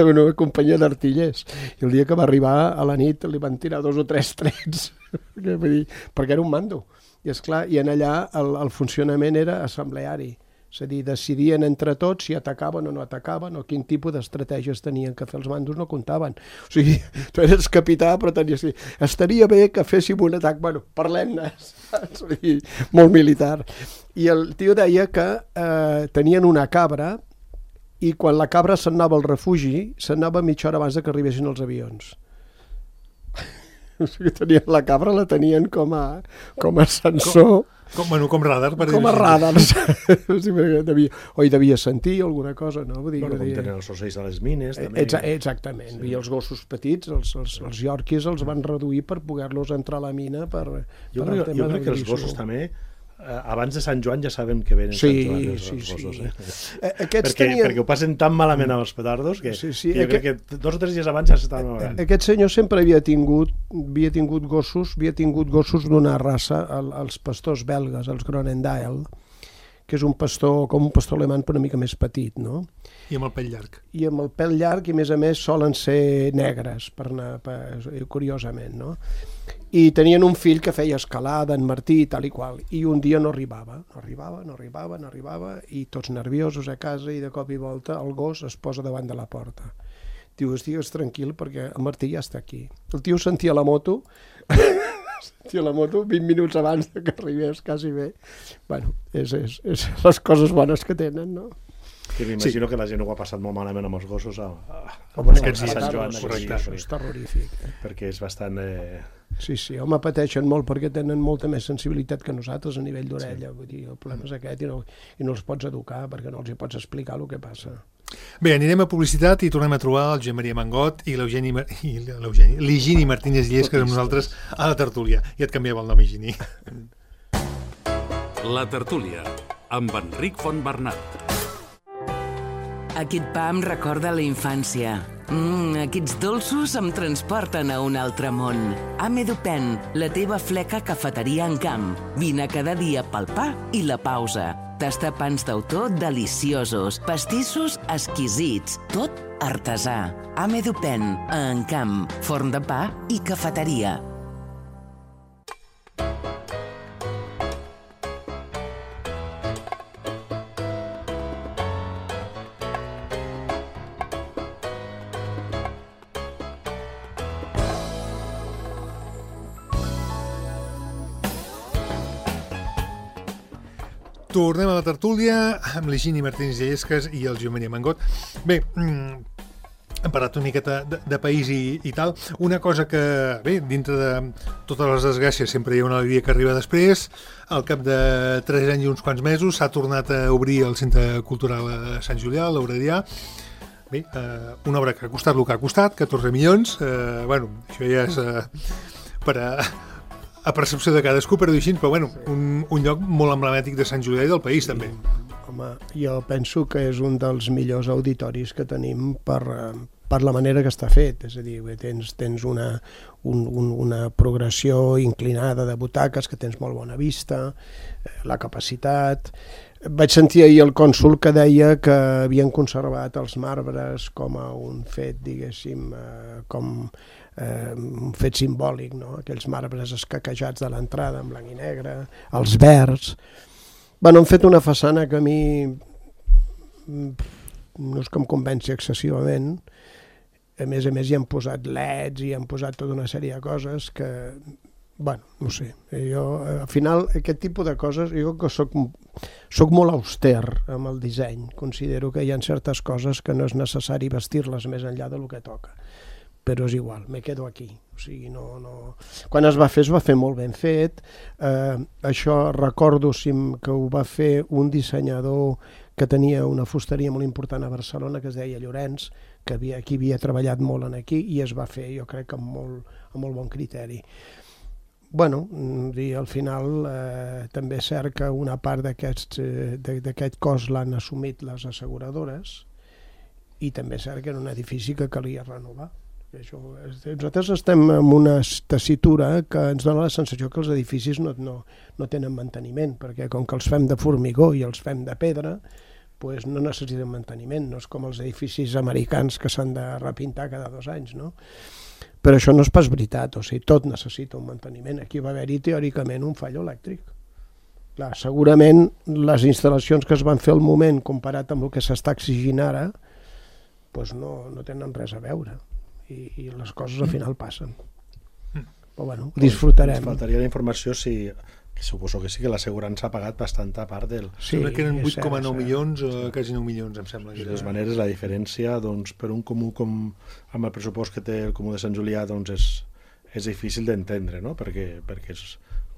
una companyia d'artillers, i el dia que va arribar a la nit li van tirar dos o tres trets perquè era un mando. I esclar, i en allà el, el funcionament era assembleari, és a dir, decidien entre tots si atacaven o no atacaven o quin tipus d'estratègies tenien que fer els mandos, no comptaven. O sigui, tu eres capità però tenies que dir, estaria bé que féssim un atac, bueno, parlem-ne, molt militar. I el tio deia que eh, tenien una cabra i quan la cabra se'n anava al refugi, se'n anava mitja hora abans de que arribessin els avions. O sigui, tenien la cabra, la tenien com a, com a sensor. Com, com, bueno, com radar. Per com a radar. O sigui, devia, o hi devia sentir alguna cosa, no? Vull dir, bueno, com dir... tenen els ocells a les mines, també. Exa exactament. Sí. I els gossos petits, els, els, els yorkies, els van reduir per poder-los entrar a la mina per, jo per crec, el tema jo crec que els gossos també, abans de Sant Joan ja sabem que venen sí, Sant Joan els, sí, els gossos. Sí. Eh? Aquests perquè, tenien... perquè ho passen tan malament amb els petardos que, sí, sí. que jo Aqu... crec que dos o tres dies abans ja s'estaven malament. Aquest senyor sempre havia tingut, havia tingut gossos, havia tingut gossos d'una raça, el, els pastors belgues, els Groenendael, que és un pastor, com un pastor alemany però una mica més petit, no? I amb el pèl llarg. I amb el pèl llarg, i a més a més solen ser negres, per anar, per, curiosament, no? I tenien un fill que feia escalada, en Martí i tal i qual, i un dia no arribava, no arribava, no arribava, no arribava, i tots nerviosos a casa, i de cop i volta el gos es posa davant de la porta. Diu, estigues tranquil perquè el Martí ja està aquí. El tio sentia la moto, sentia la moto vint minuts abans que arribés, quasi bé. Bueno, és, és, és les coses bones que tenen, no? Que m'imagino sí. que la gent ho ha passat molt malament amb els gossos a, a, a, a Sant Joan. Això és terrorífic. Perquè és bastant... Eh... Sí, sí, home, pateixen molt perquè tenen molta més sensibilitat que nosaltres a nivell d'orella. Sí. Vull dir, el problema és aquest i no, i no els pots educar perquè no els hi pots explicar el que passa. Bé, anirem a publicitat i tornem a trobar el Josep Maria Mangot i l'Higini Martínez Llesques amb nosaltres a la tertúlia. Ja et canviava el nom, Higini. La tertúlia, amb Enric Fontbernat. Aquest pa em recorda la infància. Mm, aquests dolços em transporten a un altre món. Amedupen, la teva fleca cafeteria en camp. Vine cada dia pel pa i la pausa. Tastar pans d'autor deliciosos, pastissos exquisits, tot artesà. Amedupen, a Encamp, forn de pa i cafeteria. Tornem a la tertúlia amb l'Higini Martínez Llesques i el Josep Maria Mangot. Bé, hem parlat una miqueta de, de país i, i tal. Una cosa que, bé, dintre de totes les desgràcies sempre hi ha una alegria que arriba després. Al cap de tres anys i uns quants mesos s'ha tornat a obrir el Centre Cultural a Sant Julià, a l'Aurelià. Bé, eh, una obra que ha costat el que ha costat, catorze milions. Eh, bueno, això ja és eh, per a... a percepció de cadascú, però així, però bueno, un, un lloc molt emblemàtic de Sant Julià i del país, també. Home, jo penso que és un dels millors auditoris que tenim per, per la manera que està fet, és a dir, tens, tens una, un, un, una progressió inclinada de butaques, que tens molt bona vista, la capacitat... Vaig sentir ahir el cònsol que deia que havien conservat els marbres com a un fet, diguéssim, com eh, un fet simbòlic, no? Aquells marbres escaquejats de l'entrada en blanc i negre, els verds. Bueno, han fet una façana que a mi no és que em convenci excessivament. A més a més hi han posat leds i han posat tota una sèrie de coses que... Bueno, no sé, jo al final aquest tipus de coses, jo que soc, soc molt auster amb el disseny, considero que hi ha certes coses que no és necessari vestir-les més enllà del que toca, però és igual, me quedo aquí, O sigui, no, no... Quan es va fer, es va fer molt ben fet. Eh, això recordo que ho va fer un dissenyador que tenia una fusteria molt important a Barcelona, que es deia Llorenç, que havia, aquí havia treballat molt en aquí, i es va fer, jo crec, amb molt, amb molt bon criteri. Bueno, i al final eh, també és cert que una part d'aquest eh, cost l'han assumit les asseguradores, i també és cert que era un edifici que calia renovar. Això, nosaltres estem en una tessitura que ens dona la sensació que els edificis no, no, no tenen manteniment, perquè com que els fem de formigó i els fem de pedra, pues no necessiten manteniment, no és com els edificis americans que s'han de repintar cada dos anys, no? Però això no és pas veritat, o sigui, tot necessita un manteniment. Aquí va haver-hi teòricament un fallo elèctric. Clar, segurament les instal·lacions que es van fer al moment comparat amb el que s'està exigint ara, pues no, no tenen res a veure. I, i les coses al final passen. Però bueno, ho disfrutarem. Ens faltaria la informació si, que suposo que sí, que l'assegurança ha pagat bastanta part del... Sí, sembla que eren vuit coma nou milions o sí. quasi nou milions, em sembla. De totes maneres, la diferència, doncs, per un comú com amb el pressupost que té el Comú de Sant Julià, doncs és, és difícil d'entendre, no? Perquè, perquè és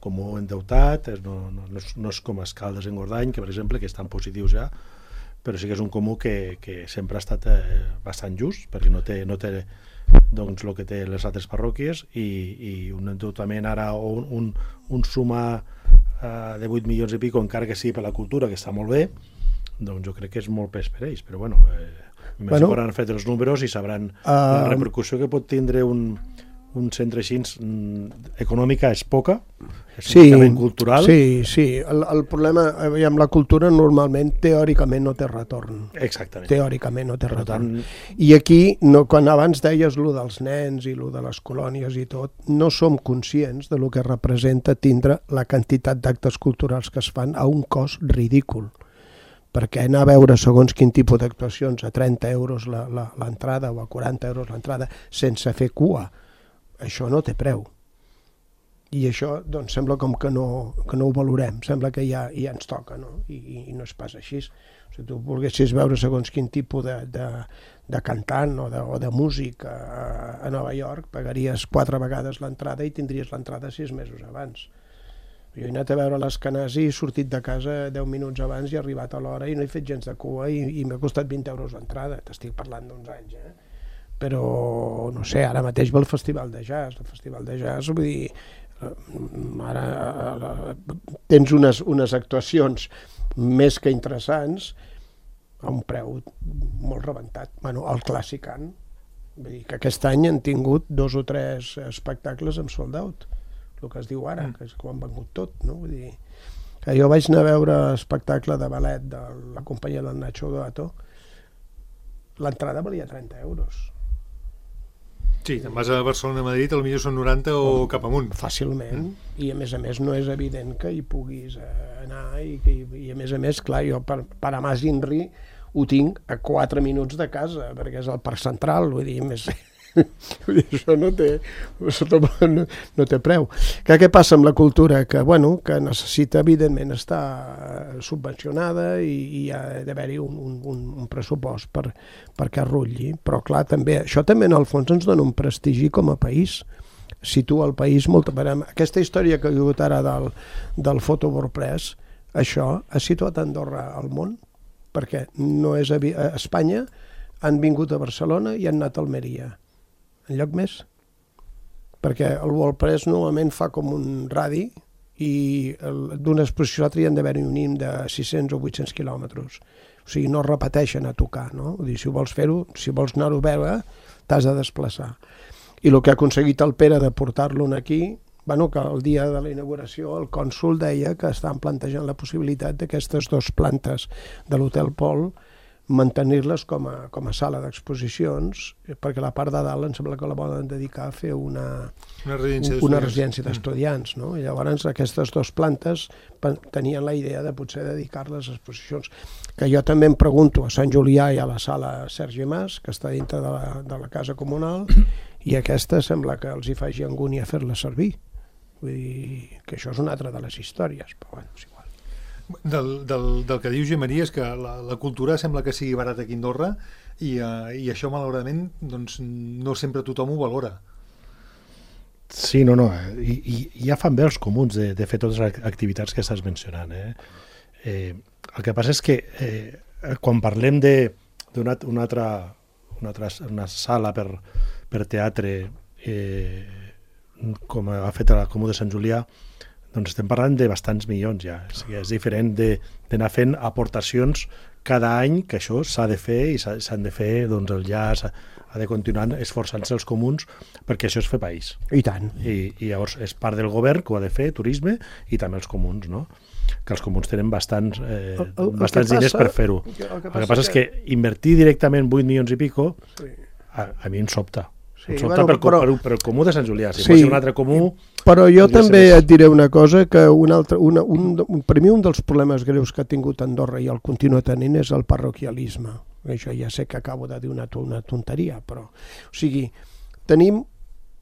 comú endeutat, és, no, no, no, és, no és com Escaldes en Gordany, que per exemple, que estan positius ja, però sí que és un comú que, que sempre ha estat eh, bastant just, perquè no té, no té doncs el que té les altres parròquies, i, i un endeutament ara o un, un, un sumar uh, de vuit milions i pico, encara que sigui per la cultura, que està molt bé, doncs jo crec que és molt pes per ells, però bueno, eh, bueno, hauran fet els números i sabran uh, la repercussió que pot tindre un, un centre així. Econòmica és poca, és sí, un cultural. Sí, sí, el, el problema amb la cultura normalment teòricament no té retorn. Exactament. Teòricament no té per retorn. Tant... I aquí, no, quan abans deies lo dels nens i lo de les colònies i tot, no som conscients de lo que representa tindre la quantitat d'actes culturals que es fan a un cost ridícul. Perquè anar a veure segons quin tipus d'actuacions a trenta euros l'entrada o a quaranta euros l'entrada sense fer cua, això no té preu. I això doncs, sembla com que no, que no ho valorem, sembla que ja, ja ens toca, no? I, i no és pas així. Si tu volguessis veure segons quin tipus de, de, de cantant o de, o de músic a, a Nova York, pagaries quatre vegades l'entrada i tindries l'entrada sis mesos abans. Jo he anat a veure l'Escanasi, he sortit de casa deu minuts abans i he arribat a l'hora i no he fet gens de cua i, i m'ha costat vint euros l'entrada. T'estic parlant d'uns anys, eh? Però, no sé, ara mateix ve el Festival de Jazz. El Festival de Jazz, vull dir, ara tens unes, unes actuacions més que interessants a un preu molt rebentat. Bueno, el Clàssicant, vull dir que aquest any han tingut dos o tres espectacles amb sold out, el que es diu ara, que és quan han vengut tot, no? Vull dir, que jo vaig anar a veure l'espectacle de ballet de la companyia del Nacho Gato, l'entrada valia trenta euros. Sí, te'n vas a Barcelona, a Madrid, potser són noranta o cap amunt. Fàcilment, i a més a més no és evident que hi puguis anar, i, que, i a més a més, clar, jo per, per a Mas Inri ho tinc a quatre minuts de casa, perquè és el Parc Central, vull dir, més... vull dir, això no té, no, no té preu. Que què passa amb la cultura? Que, bueno, que necessita, evidentment, estar subvencionada i, i hi ha d'haver-hi un, un, un pressupost per, perquè arrutlli. Però, clar, també, això també en el fons ens dona un prestigi com a país. Situa el país molt... Aquesta història que ha hagut ara del, del Photo WordPress, això ha situat Andorra al món, perquè no és a, a Espanya han vingut a Barcelona i han anat a Almeria. En lloc més, perquè el WordPress normalment fa com un radi i d'una exposició a l'altra hi han d'haver un mínim de sis-cents o vuit-cents quilòmetres. O sigui, no repeteixen a tocar, no? Vull dir, si vols fer-ho, si vols anar-ho a veure, t'has de desplaçar. I el que ha aconseguit el Pere de portar-lo aquí, bueno, que el dia de la inauguració el cònsol deia que estan plantejant la possibilitat d'aquestes dues plantes de l'Hotel Pol mantenir-les com a, com a sala d'exposicions, perquè la part de dalt em sembla que la volen dedicar a fer una, una residència una residència d'estudiants, no? I llavors aquestes dues plantes tenien la idea de potser dedicar-les a exposicions. Que jo també em pregunto a Sant Julià i a la sala Sergi Mas, que està dintre de la, de la casa comunal, i aquesta sembla que els hi faci angúnia fer-la servir. Vull dir que això és una altra de les històries, però bueno, és igual. Del, del, del que diu Gemaria és que la, la cultura sembla que sigui barata aquí a Andorra i, uh, i això malauradament doncs, no sempre tothom ho valora. Sí, no, no, i, i ja fan bé els comuns de, de fer totes les activitats que estàs mencionant. Eh? Eh, el que passa és que eh, quan parlem d'una una altra, una altra una sala per, per teatre eh, com ha fet la Comú de Sant Julià, doncs estem parlant de bastants milions ja. O sigui, és diferent d'anar fent aportacions cada any, que això s'ha de fer i s'han de fer, doncs el llaç ha de continuar esforçant-se els comuns perquè això és fer país. I tant. I, i llavors és part del govern que ho ha de fer, turisme, i també els comuns, no? Que els comuns tenen bastants, eh, el, el, bastants diners passa, per fer-ho. El, el que passa, el que passa és que, que invertir directament vuit milions i pico, sí. a, a mi em sobta. Sí, em sobta bueno, per, però, per, per el comú de Sant Julià. Si sí, fos un altre comú... Però jo també et diré una cosa, que un altre, una, un, un, per mi un dels problemes greus que ha tingut Andorra i el continua tenint és el parroquialisme. Això ja sé que acabo de dir una, una tonteria, però... O sigui, tenim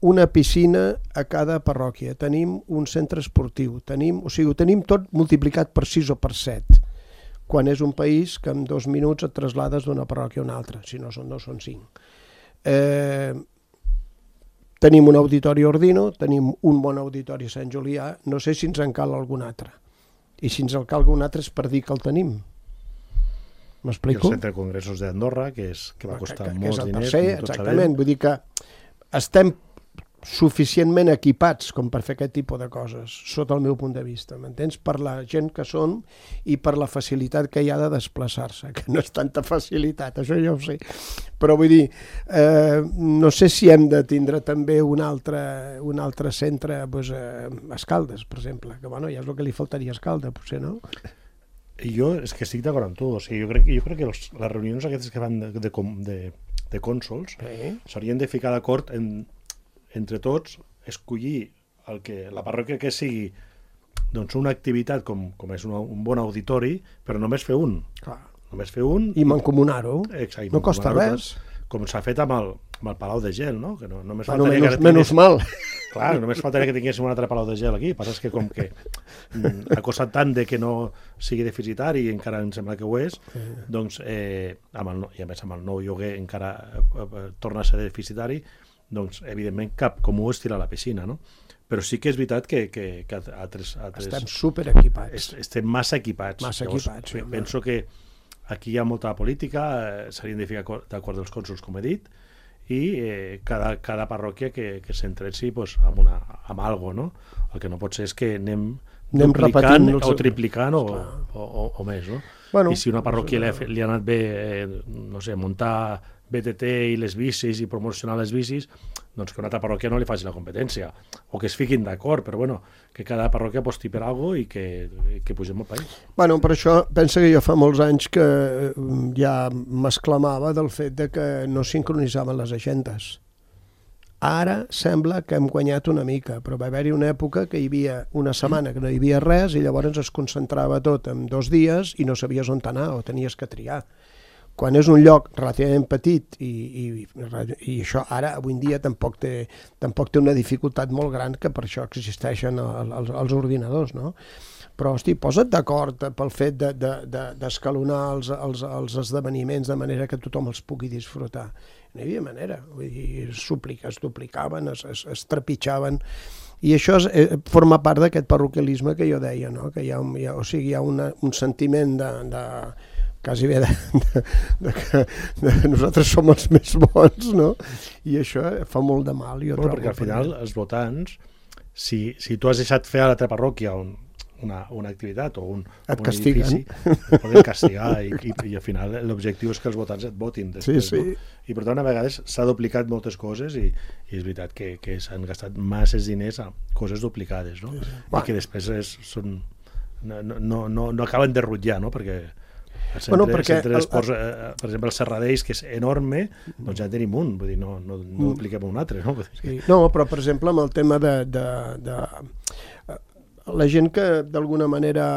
una piscina a cada parròquia, tenim un centre esportiu, tenim, o sigui, ho tenim tot multiplicat per sis o per set, quan és un país que en dos minuts et traslades d'una parròquia a una altra, si no són dos, són cinc. Eh, tenim un auditori a Ordino, tenim un bon auditori a Sant Julià, no sé si ens en cal algun altre. I si ens en cal algun altre és per dir que el tenim. M'explico? I el centre de congressos d'Andorra, que, és, que va costar que, que molts diners. Tercer, exactament, vull dir que estem suficientment equipats com per fer aquest tipus de coses, sota el meu punt de vista, m'entens? Per la gent que som i per la facilitat que hi ha de desplaçar-se, que no és tanta facilitat, això ja ho sé. Però vull dir, eh, no sé si hem de tindre també un altre, un altre centre doncs, eh, a Escaldes, per exemple, que bueno, ja és el que li faltaria a Escaldes, potser, no? Jo és que estic d'acord amb tu, o sigui, jo crec, jo crec que els, les reunions aquestes que van de, de, de, de cònsols s'haurien de ficar d'acord en, entre tots, escollir el que, la parròquia que sigui doncs una activitat com, com és una, un bon auditori, però només fer un. Clar. Només fer un. I mancomunar-ho. Exacte, no costa res. Com s'ha fet amb el, amb el Palau de Gel, no? Que no només bueno, faltaria menys, que menys mal. Clar, només faltaria que tinguéssim un altre Palau de Gel aquí. El que passa és que com que mm, ha costat tant de que no sigui deficitari i encara em sembla que ho és, sí. doncs, eh, amb el, i a més amb el nou lloguer encara eh, eh, torna a ser deficitari, doncs evidentment cap com ho estira a la piscina, no? Però sí que és veritat que, que, que altres, altres... Estem superequipats. Estem massa equipats. Massa Llavors, equipats. Sí, penso que aquí hi ha molta política, eh, s'haurien de ficar d'acord els cònsols, com he dit, i eh, cada, cada parròquia que, que s'entretzi pues, amb, una, amb algo, no? El que no pot ser és que anem, anem duplicant o triplicant o, o, o, o més, no? Bueno, I si una parròquia li ha, li ha anat bé, eh, no sé, muntar B T T i les bicis i promocionar les bicis, doncs que una altra parròquia no li faci la competència, o que es fiquin d'acord, però bueno, que cada parròquia aposti per alguna cosa i que, que pugem al país. Bueno, per això pensa que jo fa molts anys que ja m'exclamava del fet de que no sincronitzaven les agendes. Ara sembla que hem guanyat una mica, però va haver-hi una època que hi havia una setmana que no hi havia res i llavors es concentrava tot en dos dies i no sabies on anar o tenies que triar. Quan és un lloc relativament petit i, i, i això ara, avui en dia, tampoc té, tampoc té una dificultat molt gran, que per això existeixen els, els ordinadors, no? Però, hosti, posa't d'acord pel fet d'escalonar de, de, els, els, els esdeveniments de manera que tothom els pugui disfrutar. No hi havia manera, vull dir, es duplicaven, es, es, es trepitjaven, i això és, eh, forma part d'aquest parroquialisme que jo deia, no? Que hi ha, un, hi ha, o sigui, hi ha una, un sentiment de... de quasi bé de, de, de que de nosaltres som els més bons, no? I això fa molt de mal. Jo bueno, perquè al final els votants, si, si tu has deixat fer a l'altra parròquia un, una, una activitat o un, et un castiguen. edifici, et poden castigar i, i, i al final l'objectiu és que els votants et votin després, sí, sí. No? I per tant a vegades s'ha duplicat moltes coses i, i és veritat que, que s'han gastat masses diners a coses duplicades, no? Sí, sí. I bueno. Que després és, són, no, no, no, no acaben de rutllar, no? Perquè el centre, bueno, perquè el centre d'esports, eh, per exemple, el Serradeix, que és enorme, doncs ja tenim un, vull dir, no, no, no dupliquem un altre, no? Sí. No, però, per exemple, amb el tema de, de, de la gent que d'alguna manera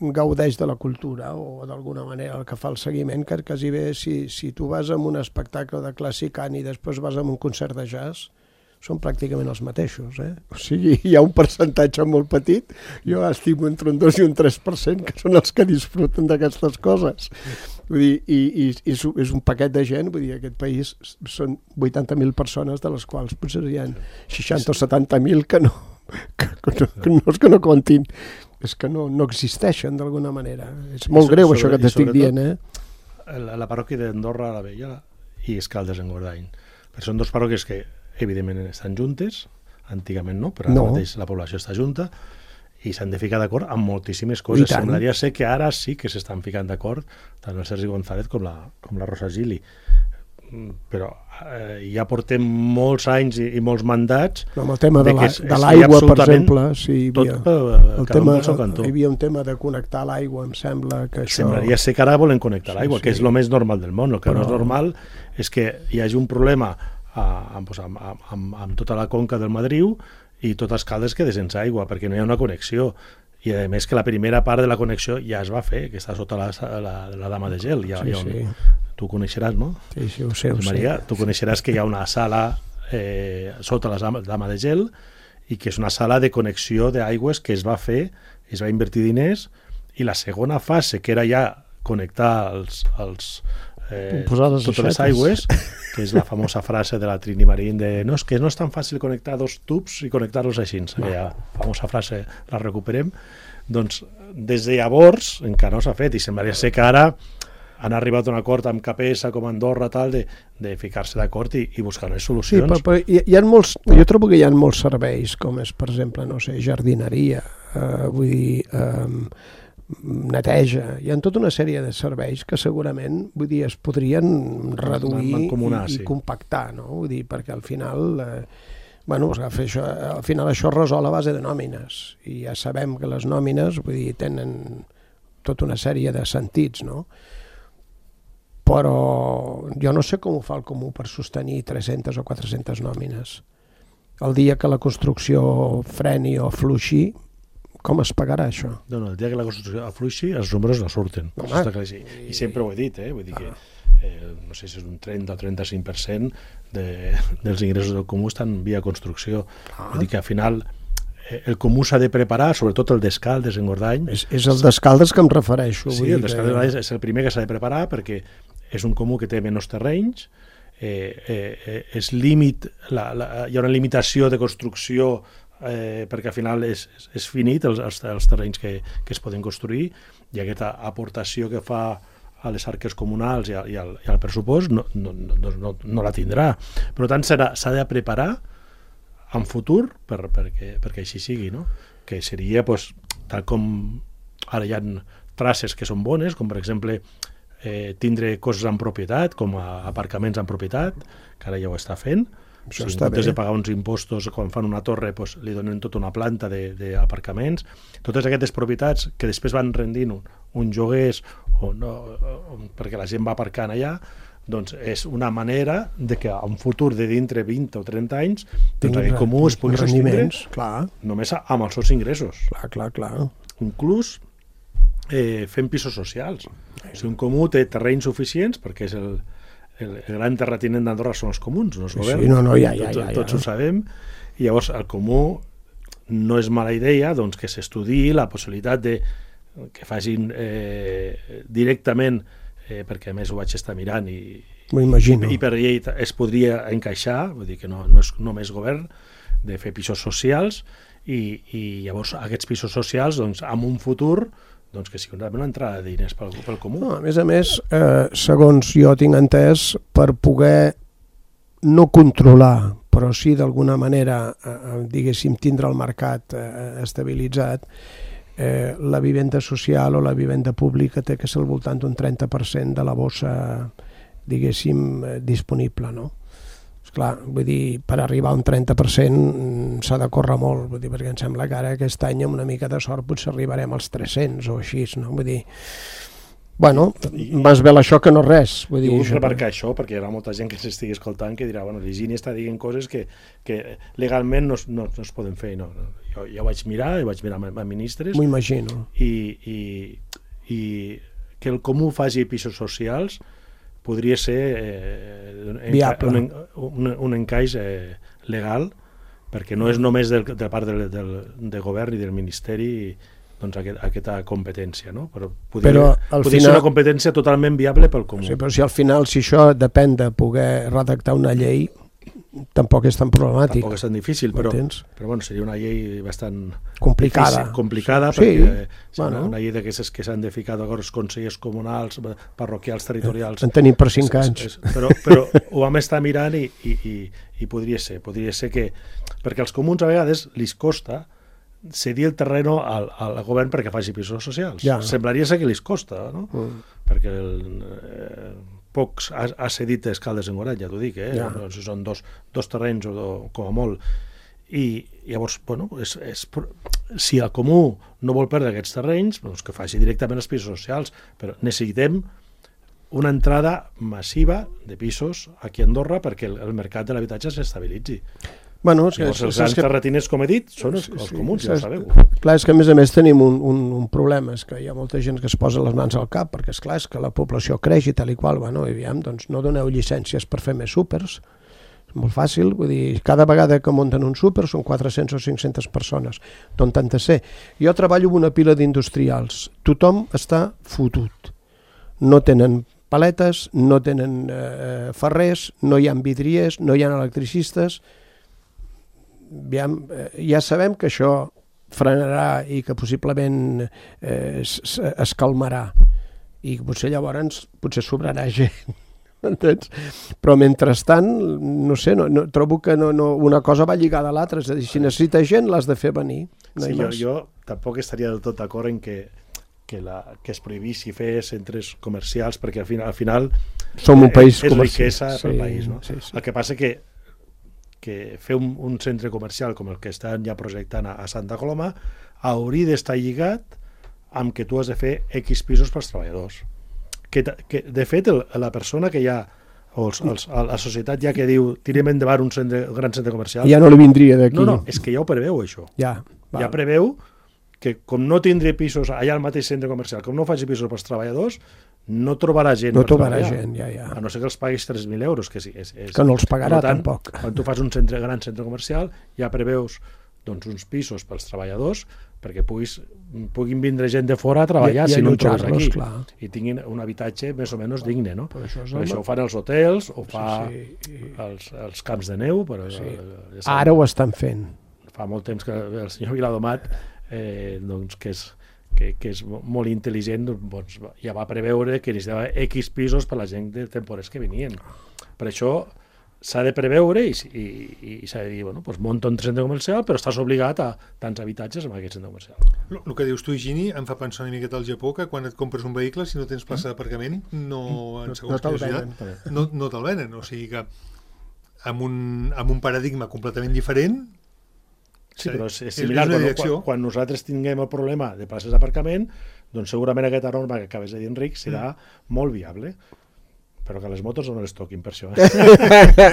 gaudeix de la cultura o d'alguna manera el que fa el seguiment, que quasi bé si, si tu vas a un espectacle de clàssic i després vas a un concert de jazz, són pràcticament els mateixos, eh? O sigui, hi ha un percentatge molt petit, jo estimo entre un dos i un tres per cent, que són els que disfruten d'aquestes coses. Vull dir, i, i, i és un paquet de gent, vull dir, aquest país són vuitanta mil persones, de les quals potser hi ha seixanta o setanta mil que no, que, que no, que no, que no comptin, és que no, no existeixen d'alguna manera. És molt greu sobre, això que t'estic dient, eh? La, la parròquia d'Andorra la Vella i Escaldes en Gordany. Però són dos parròquies que, evidentment, estan juntes, antigament no, però ara no. mateix la població està junta, i s'han de ficar d'acord amb moltíssimes coses. Semblaria ser que ara sí que s'estan ficant d'acord tant el Sergi González com la, com la Rosa Gili. Però eh, ja portem molts anys i, i molts mandats... No, amb el tema de, de, de l'aigua, per exemple, sí, hi havia, tot, el tema, hi havia un tema de connectar l'aigua, em sembla que això... Semblaria ser que ara volen connectar l'aigua, sí, sí. que és el més normal del món. El que Però... no és normal és que hi hagi un problema amb, amb, amb, amb tota la conca del Madriu i tot Escaldes queda sense aigua, perquè no hi ha una connexió. I a més que la primera part de la connexió ja es va fer, que està sota la, la, la dama de gel. Ja, sí, ja, sí. Tu coneixeràs, no? Sí, sí, ho sé, ho Maria, sé. Tu coneixeràs que hi ha una sala eh, sota la dama de gel i que és una sala de connexió d'aigües que es va fer, es va invertir diners, i la segona fase, que era ja connectar els... els Eh, totes aixetes. Les aigües, que és la famosa frase de la Trini Marín de no, és que no és tan fàcil connectar dos tubs i connectar-los així, aquella famosa frase la recuperem, doncs des de llavors encara no s'ha fet i semblaria ser que ara han arribat a un acord amb K P S com Andorra tal, de, de ficar-se d'acord i, i buscar unes solucions. Sí, però, però hi, hi ha molts, jo trobo que hi ha molts serveis com és, per exemple, no sé, jardineria, eh, vull dir... Eh, neteja, hi ha tota una sèrie de serveis que segurament, vull dir, es podrien reduir i, i compactar, no? Vull dir, perquè al final eh, bueno, fer això, al final això es resol a base de nòmines i ja sabem que les nòmines, vull dir, tenen tota una sèrie de sentits, no? Però jo no sé com ho fa el Comú per sostenir tres-centes o quatre-centes nòmines. El dia que la construcció freni o fluixi, com es pagarà això? No, no, el dia que la construcció afluixi, els números no surten. No, està clar, i, I sempre ho he dit, eh? Vull dir que eh, no sé si és un trenta o trenta-cinc per cent de, dels ingressos del Comú estan via construcció. Ah. Vull dir que al final eh, el Comú s'ha de preparar, sobretot el d'Escaldes en Gordany. És, és el d'Escaldes que em refereixo. Sí, vull el d'Escaldes que... és el primer que s'ha de preparar perquè és un Comú que té menys terrenys, eh, eh, és límit, la, la, hi ha una limitació de construcció Eh, perquè al final és, és finit els, els, els terrenys que, que es poden construir i aquesta aportació que fa a les arques comunals i, a, i, al, i al pressupost no, no, no, no, no la tindrà. Per tant, s'ha de preparar en futur per, perquè, perquè així sigui, no? Que seria, pues, tal com ara hi ha traces que són bones, com per exemple eh, tindre coses en propietat, com a aparcaments en propietat, que ara ja ho està fent. Si en comptes de pagar uns impostos quan fan una torre, pues, li donen tota una planta d'aparcaments. Totes aquestes propietats que després van rendint un, un joguers o no, o, perquè la gent va aparcant allà, doncs és una manera de que en futur de dintre vint o trenta anys doncs aquest Comú es pugui sostindre només amb els seus ingressos. Clar, clar, clar. Inclús eh, fent pisos socials. O sigui, un Comú té terrenys suficients perquè és el El, el gran terratinent d'Andorra són els comuns, no és govern, sí, no, no, ja, ja, tots, ja, ja. tots ho sabem, i llavors el Comú no és mala idea doncs, que s'estudiï la possibilitat de que facin eh, directament, eh, perquè a més ho vaig estar mirant i, i, i per llei es podria encaixar, vull dir que no, no és només govern, de fer pisos socials i, i llavors aquests pisos socials doncs, en un futur doncs que sigui una entrada de diners pel, pel Comú. No, a més a més, eh, segons jo tinc entès, per poder no controlar, però sí d'alguna manera, eh, diguéssim, tindre el mercat eh, estabilitzat, eh, la vivenda social o la vivenda pública té que ser al voltant d'un trenta per cent de la bossa, diguéssim, eh, disponible, no? Esclar, vull dir, per arribar a un trenta per cent s'ha de córrer molt, vull dir, perquè em sembla que ara aquest any amb una mica de sort potser arribarem als tres-cents o així, no? Vull dir, bueno, més vel això que no res. Vull dir, I vull remarcar això, perquè hi ha molta gent que s'estigui escoltant que dirà, bueno, l'Higini està dient coses que, que legalment no, no, no es poden fer. No. Jo ja ho vaig mirar, ho vaig mirar amb, amb ministres. M'ho imagino. I, i, I que el Comú faci pisos socials podria ser eh, un, un, un encaix eh, legal, perquè no és només del, de part del, del, del govern i del Ministeri doncs, aquest, aquesta competència, no? Però podria, però al podria final... ser una competència totalment viable pel comú. Sí, però si al final, si això depèn de poder redactar una llei, tampoc és tan problemàtic. Tampoc és tan difícil, però, M'entens? però bueno, seria una llei bastant Complicada. difícil, complicada, Sí, perquè sí, bueno. una llei d'aquestes que s'han de ficar d'acord els consellers comunals, parroquials, territorials. En tenim per cinc anys. És, és, però, però ho vam estar mirant i, i, i, i podria ser, podria ser que... Perquè als comuns a vegades li costa cedir el terreno al, al govern perquè faci pisos socials. Ja. Semblaria ser que li costa, no? Mm. Perquè el, eh, pocs ha, ha cedit Escaldes en Gorat, ja t'ho dic, eh? Ja. No, si són dos, dos terrenys o, o com a molt. I llavors, bueno, és, és, si el comú no vol perdre aquests terrenys, doncs que faci directament els pisos socials, però necessitem una entrada massiva de pisos aquí a Andorra perquè el, el mercat de l'habitatge s'estabilitzi. Bueno, és que, Llavors, els grans que... terratiners, com he dit, són els, Sí, els sí, comuns, ja ho saps? sabeu. Clar, és que a més a més tenim un, un, un problema, és que hi ha molta gent que es posa les mans al cap, perquè és clar, és que la població creix i tal i qual, bueno, i aviam, doncs no doneu llicències per fer més súpers, és molt fàcil, vull dir, cada vegada que munten un súper són quatre-centes o cinc-centes persones, d'on tant de ser. Jo treballo amb una pila d'industrials, tothom està fotut, no tenen paletes, no tenen eh, ferrers, no hi ha vidriers, no hi ha electricistes. Aviam, eh, ja sabem que això frenarà i que possiblement eh, es, es calmarà i potser llavors potser sobrarà gent, entens? Però mentrestant, no sé, no, no, trobo que no, no, una cosa va lligada a l'altra, és a dir, si necessita gent l'has de fer venir. No Sí, hi jo, més. jo tampoc estaria del tot d'acord en que que, la, que es prohibissi fer centres comercials, perquè al final, al final Som un país és comercial. riquesa pel Sí, país. No? sí, sí. El que passa que, que fer un, un centre comercial com el que estan ja projectant a, a Santa Coloma hauria d'estar lligat amb que tu has de fer X pisos pels treballadors. Que, que de fet, el, la persona que ja o els, els, la societat ja que diu tirem endavant un, centre, un gran centre comercial, Ja no li vindria d'aquí. no, no, és que ja ho preveu això. Ja, val. Ja preveu que com no tindré pisos allà al mateix centre comercial, com no faci pisos pels treballadors, no trobarà gent No per trobarà treballar. gent, ja, ja. A no ser que els paguis tres mil euros, que sí. És, és, Que no els pagarà, per tant, tampoc. Quan tu fas un centre, gran centre comercial, ja preveus doncs, uns pisos pels treballadors perquè puguis, puguin vindre gent de fora a treballar I- i si no en trobes allotjar-los, aquí. clar. I tinguin un habitatge més o menys digne, no? Però això és Però el- això ho fan els hotels, ho fa sí, sí. els, els camps de neu, però Sí. eh, ja sabem, Ara ho estan fent. fa molt temps que el senyor Viladomat, eh, doncs, que és que, que és molt intel·ligent, doncs, ja va preveure que necessitava X pisos per la gent de temporers que venien. Per això s'ha de preveure i, i, i s'ha de dir, bueno, doncs munta un centre comercial, però estàs obligat a tants habitatges en aquest centre comercial. El, el que dius tu, Higini, em fa pensar una miqueta al Japó, que quan et compres un vehicle, si no tens plaça d'aparcament, no, en No- segons no te'l quina ciutat, venen. no, no te'l venen. O sigui que amb un, amb un paradigma completament diferent, Sí, però és, és és similar. una Quan, direcció. quan, quan nosaltres tinguem el problema de places d'aparcament, doncs segurament aquesta norma que acabes de dir, Enric, serà Mm. molt viable. Però que les motos no les toquin, per això. Eh?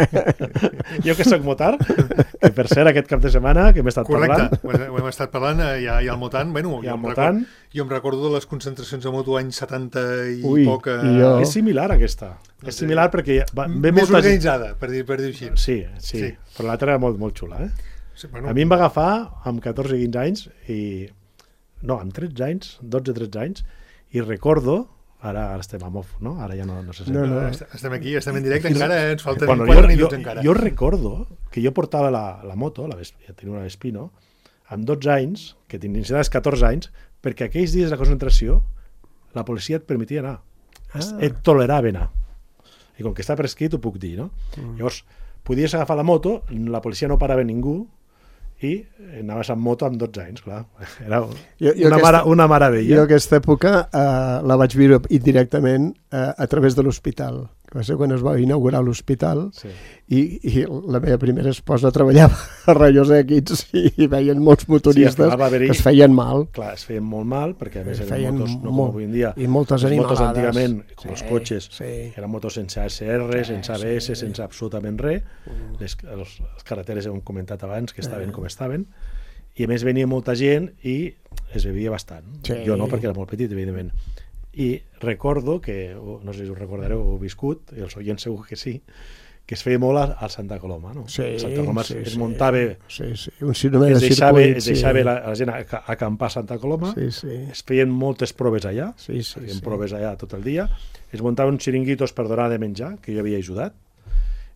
Jo que soc motar, que per cert aquest cap de setmana que m'he estat correcte, parlant... ho, hem- ho hem estat parlant, eh, hi ha, hi ha el Motant, bueno, Hi ha jo, el em Motant. recordo, jo em recordo de les concentracions de moto anys setanta i Ui, poc, eh, i jo- És similar aquesta. És similar perquè va, ve més molta gent... organitzada, per dir, per dir així. Sí, sí, Sí. però l'altra era molt, molt xula, eh? Sí, bueno, A mi em va agafar amb catorze o quinze anys i... No, amb tretze anys, dotze o tretze anys, i recordo... Ara, ara estem a mof, no? Ara ja no, no se sent. No, no. est- estem aquí, estem en directe, encara eh, ens falten Bueno, quatre jo, minuts jo, encara. jo recordo que jo portava la, la moto, la Vesp, ja tenia una Vespino, amb dotze anys, que tenies catorze anys, perquè aquells dies de concentració la policia et permetia anar. Ah. Et tolerava anar. I com que està prescrit ho puc dir, no? Mm. Llavors, podies agafar la moto, la policia no parava ningú, i anaves amb moto amb dotze anys, clar. Era Jo- jo una, aquesta- mara, una meravella. Jo aquesta època eh, la vaig viure indirectament eh, a través de l'hospital. Va ser quan es va inaugurar l'hospital Sí. i, i la meva primera esposa treballava a Rayos X i, i veien molts motoristes Sí, al final va haver-hi- que es feien mal. Clar, es feien molt mal, perquè a més eren Feien motos, no com molt- avui en dia. i moltes les motos animalades. antigament, com Sí, els cotxes, sí. eren motos sense A S R, sense A B S, sí. sense absolutament res. Les, els, les carreteres hem comentat abans que estaven com estaven. I a més venia molta gent i es bevia bastant. Sí. Jo no, perquè era molt petit, evidentment. I recordo que, no sé si us recordareu, ho he viscut, i els oients segur que sí, que es feia molt al Santa Coloma, no? Sí, Santa Coloma sí, es sí. muntava... Sí, sí, un cinema de es deixava, circuit. es deixava sí. la, la gent a, a acampar a Santa Coloma, sí, sí. es feien moltes proves allà, sí, sí, feien sí. proves allà tot el dia, es muntaven xiringuitos per donar de menjar, que jo havia ajudat,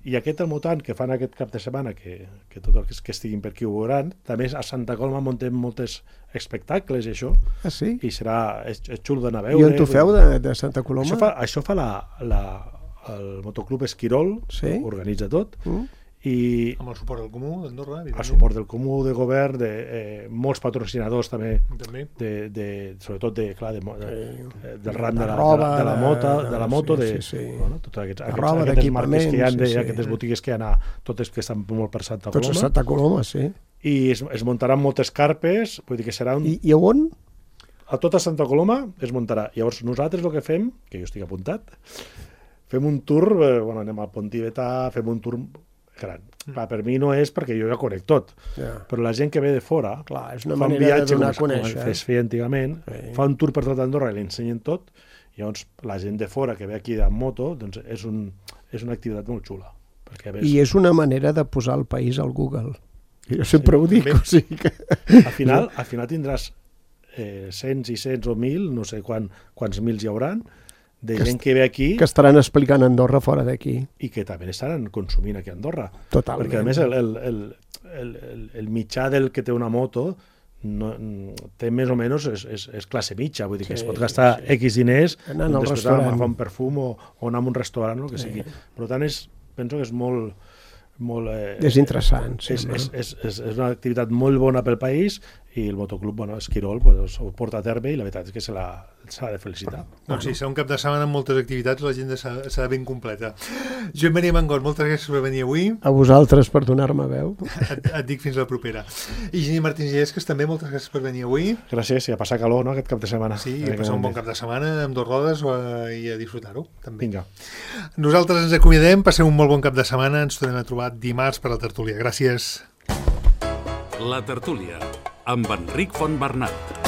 i aquest mutant que fan aquest cap de setmana, que, que tots els que estiguin per aquí ho veuran, també a Santa Coloma muntem moltes espectacles i això, ah, sí? i serà, és, és xulo d'anar a veure. I on t'ho feu, de, de Santa Coloma? Això fa, això fa la, la, el motoclub Esquirol, sí? Organitza tot, mm. i amb el suport del Comú d'Andorra, el suport del Comú, de govern, de eh, molts patrocinadors també, també. De, de, sobretot de, clar, de, de, eh, del ram de la, roba, de, la, de la moto, de la moto, sí, de, sí, sí. Bueno, tots aquests, aquests, roba, aquestes marques que hi ha, de, sí, sí. aquestes botigues que hi ha, totes que estan molt per Santa Coloma. Tots a Santa Coloma, sí. I es, es muntaran moltes carpes, vull dir que serà un... I, i on? A tota Santa Coloma es muntarà. Llavors nosaltres el que fem, que jo estic apuntat, fem un tour, eh, bueno, anem al Pont Tibetà, fem un tour gran. Clar, per mi no és perquè jo ja conec tot, yeah. però la gent que ve de fora clar, és una fa un manera viatge de donar com, a conèixer, com es feia antigament, sí. fa un tour per tot Andorra i li ensenyen tot, i llavors la gent de fora que ve aquí amb moto, doncs és, un, és una activitat molt xula. Perquè ves... I és una manera de posar el país al Google. Jo sempre sí, ho dic. O sigui que... al, final, al final tindràs eh, cents i cents o mil, no sé quan, quants mils hi hauran, de que gent que ve aquí... Que estaran explicant Andorra fora d'aquí. I que també estaran consumint aquí a Andorra. Totalment. Perquè a més el, el, el, el, el, el mitjà del que té una moto no, té més o menys és, és, és classe mitja, vull dir que sí, es pot gastar sí. X diners anant al després restaurant, agafar un perfum o, o anar a un restaurant, el que sí. sigui. Per tant, és, penso que és molt... molt eh, és interessant. Sí, és, és, és, és, és una activitat molt bona pel país i el motoclub, bueno, Esquirol, pues, ho porta a terme i la veritat és que se l'ha de felicitar. Doncs sí, serà un cap de setmana amb moltes activitats, l'agenda serà ben completa. Joan Maria Mangot, moltes gràcies per venir avui. A vosaltres per donar-me veu. Et, et dic fins la propera. I Gini Martins Llesques, també moltes gràcies per venir avui. Gràcies, i a passar calor, no?, aquest cap de setmana. Sí, i a passar un bon cap de setmana amb dos rodes i a disfrutar-ho, també. Vinga. Nosaltres ens acomiadem, passeu un molt bon cap de setmana, ens tornem a trobar dimarts per la tertúlia. Gràcies. La tertúlia, amb Enric Fontbernat.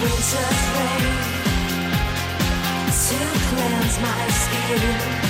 Winter's rain to cleanse my skin.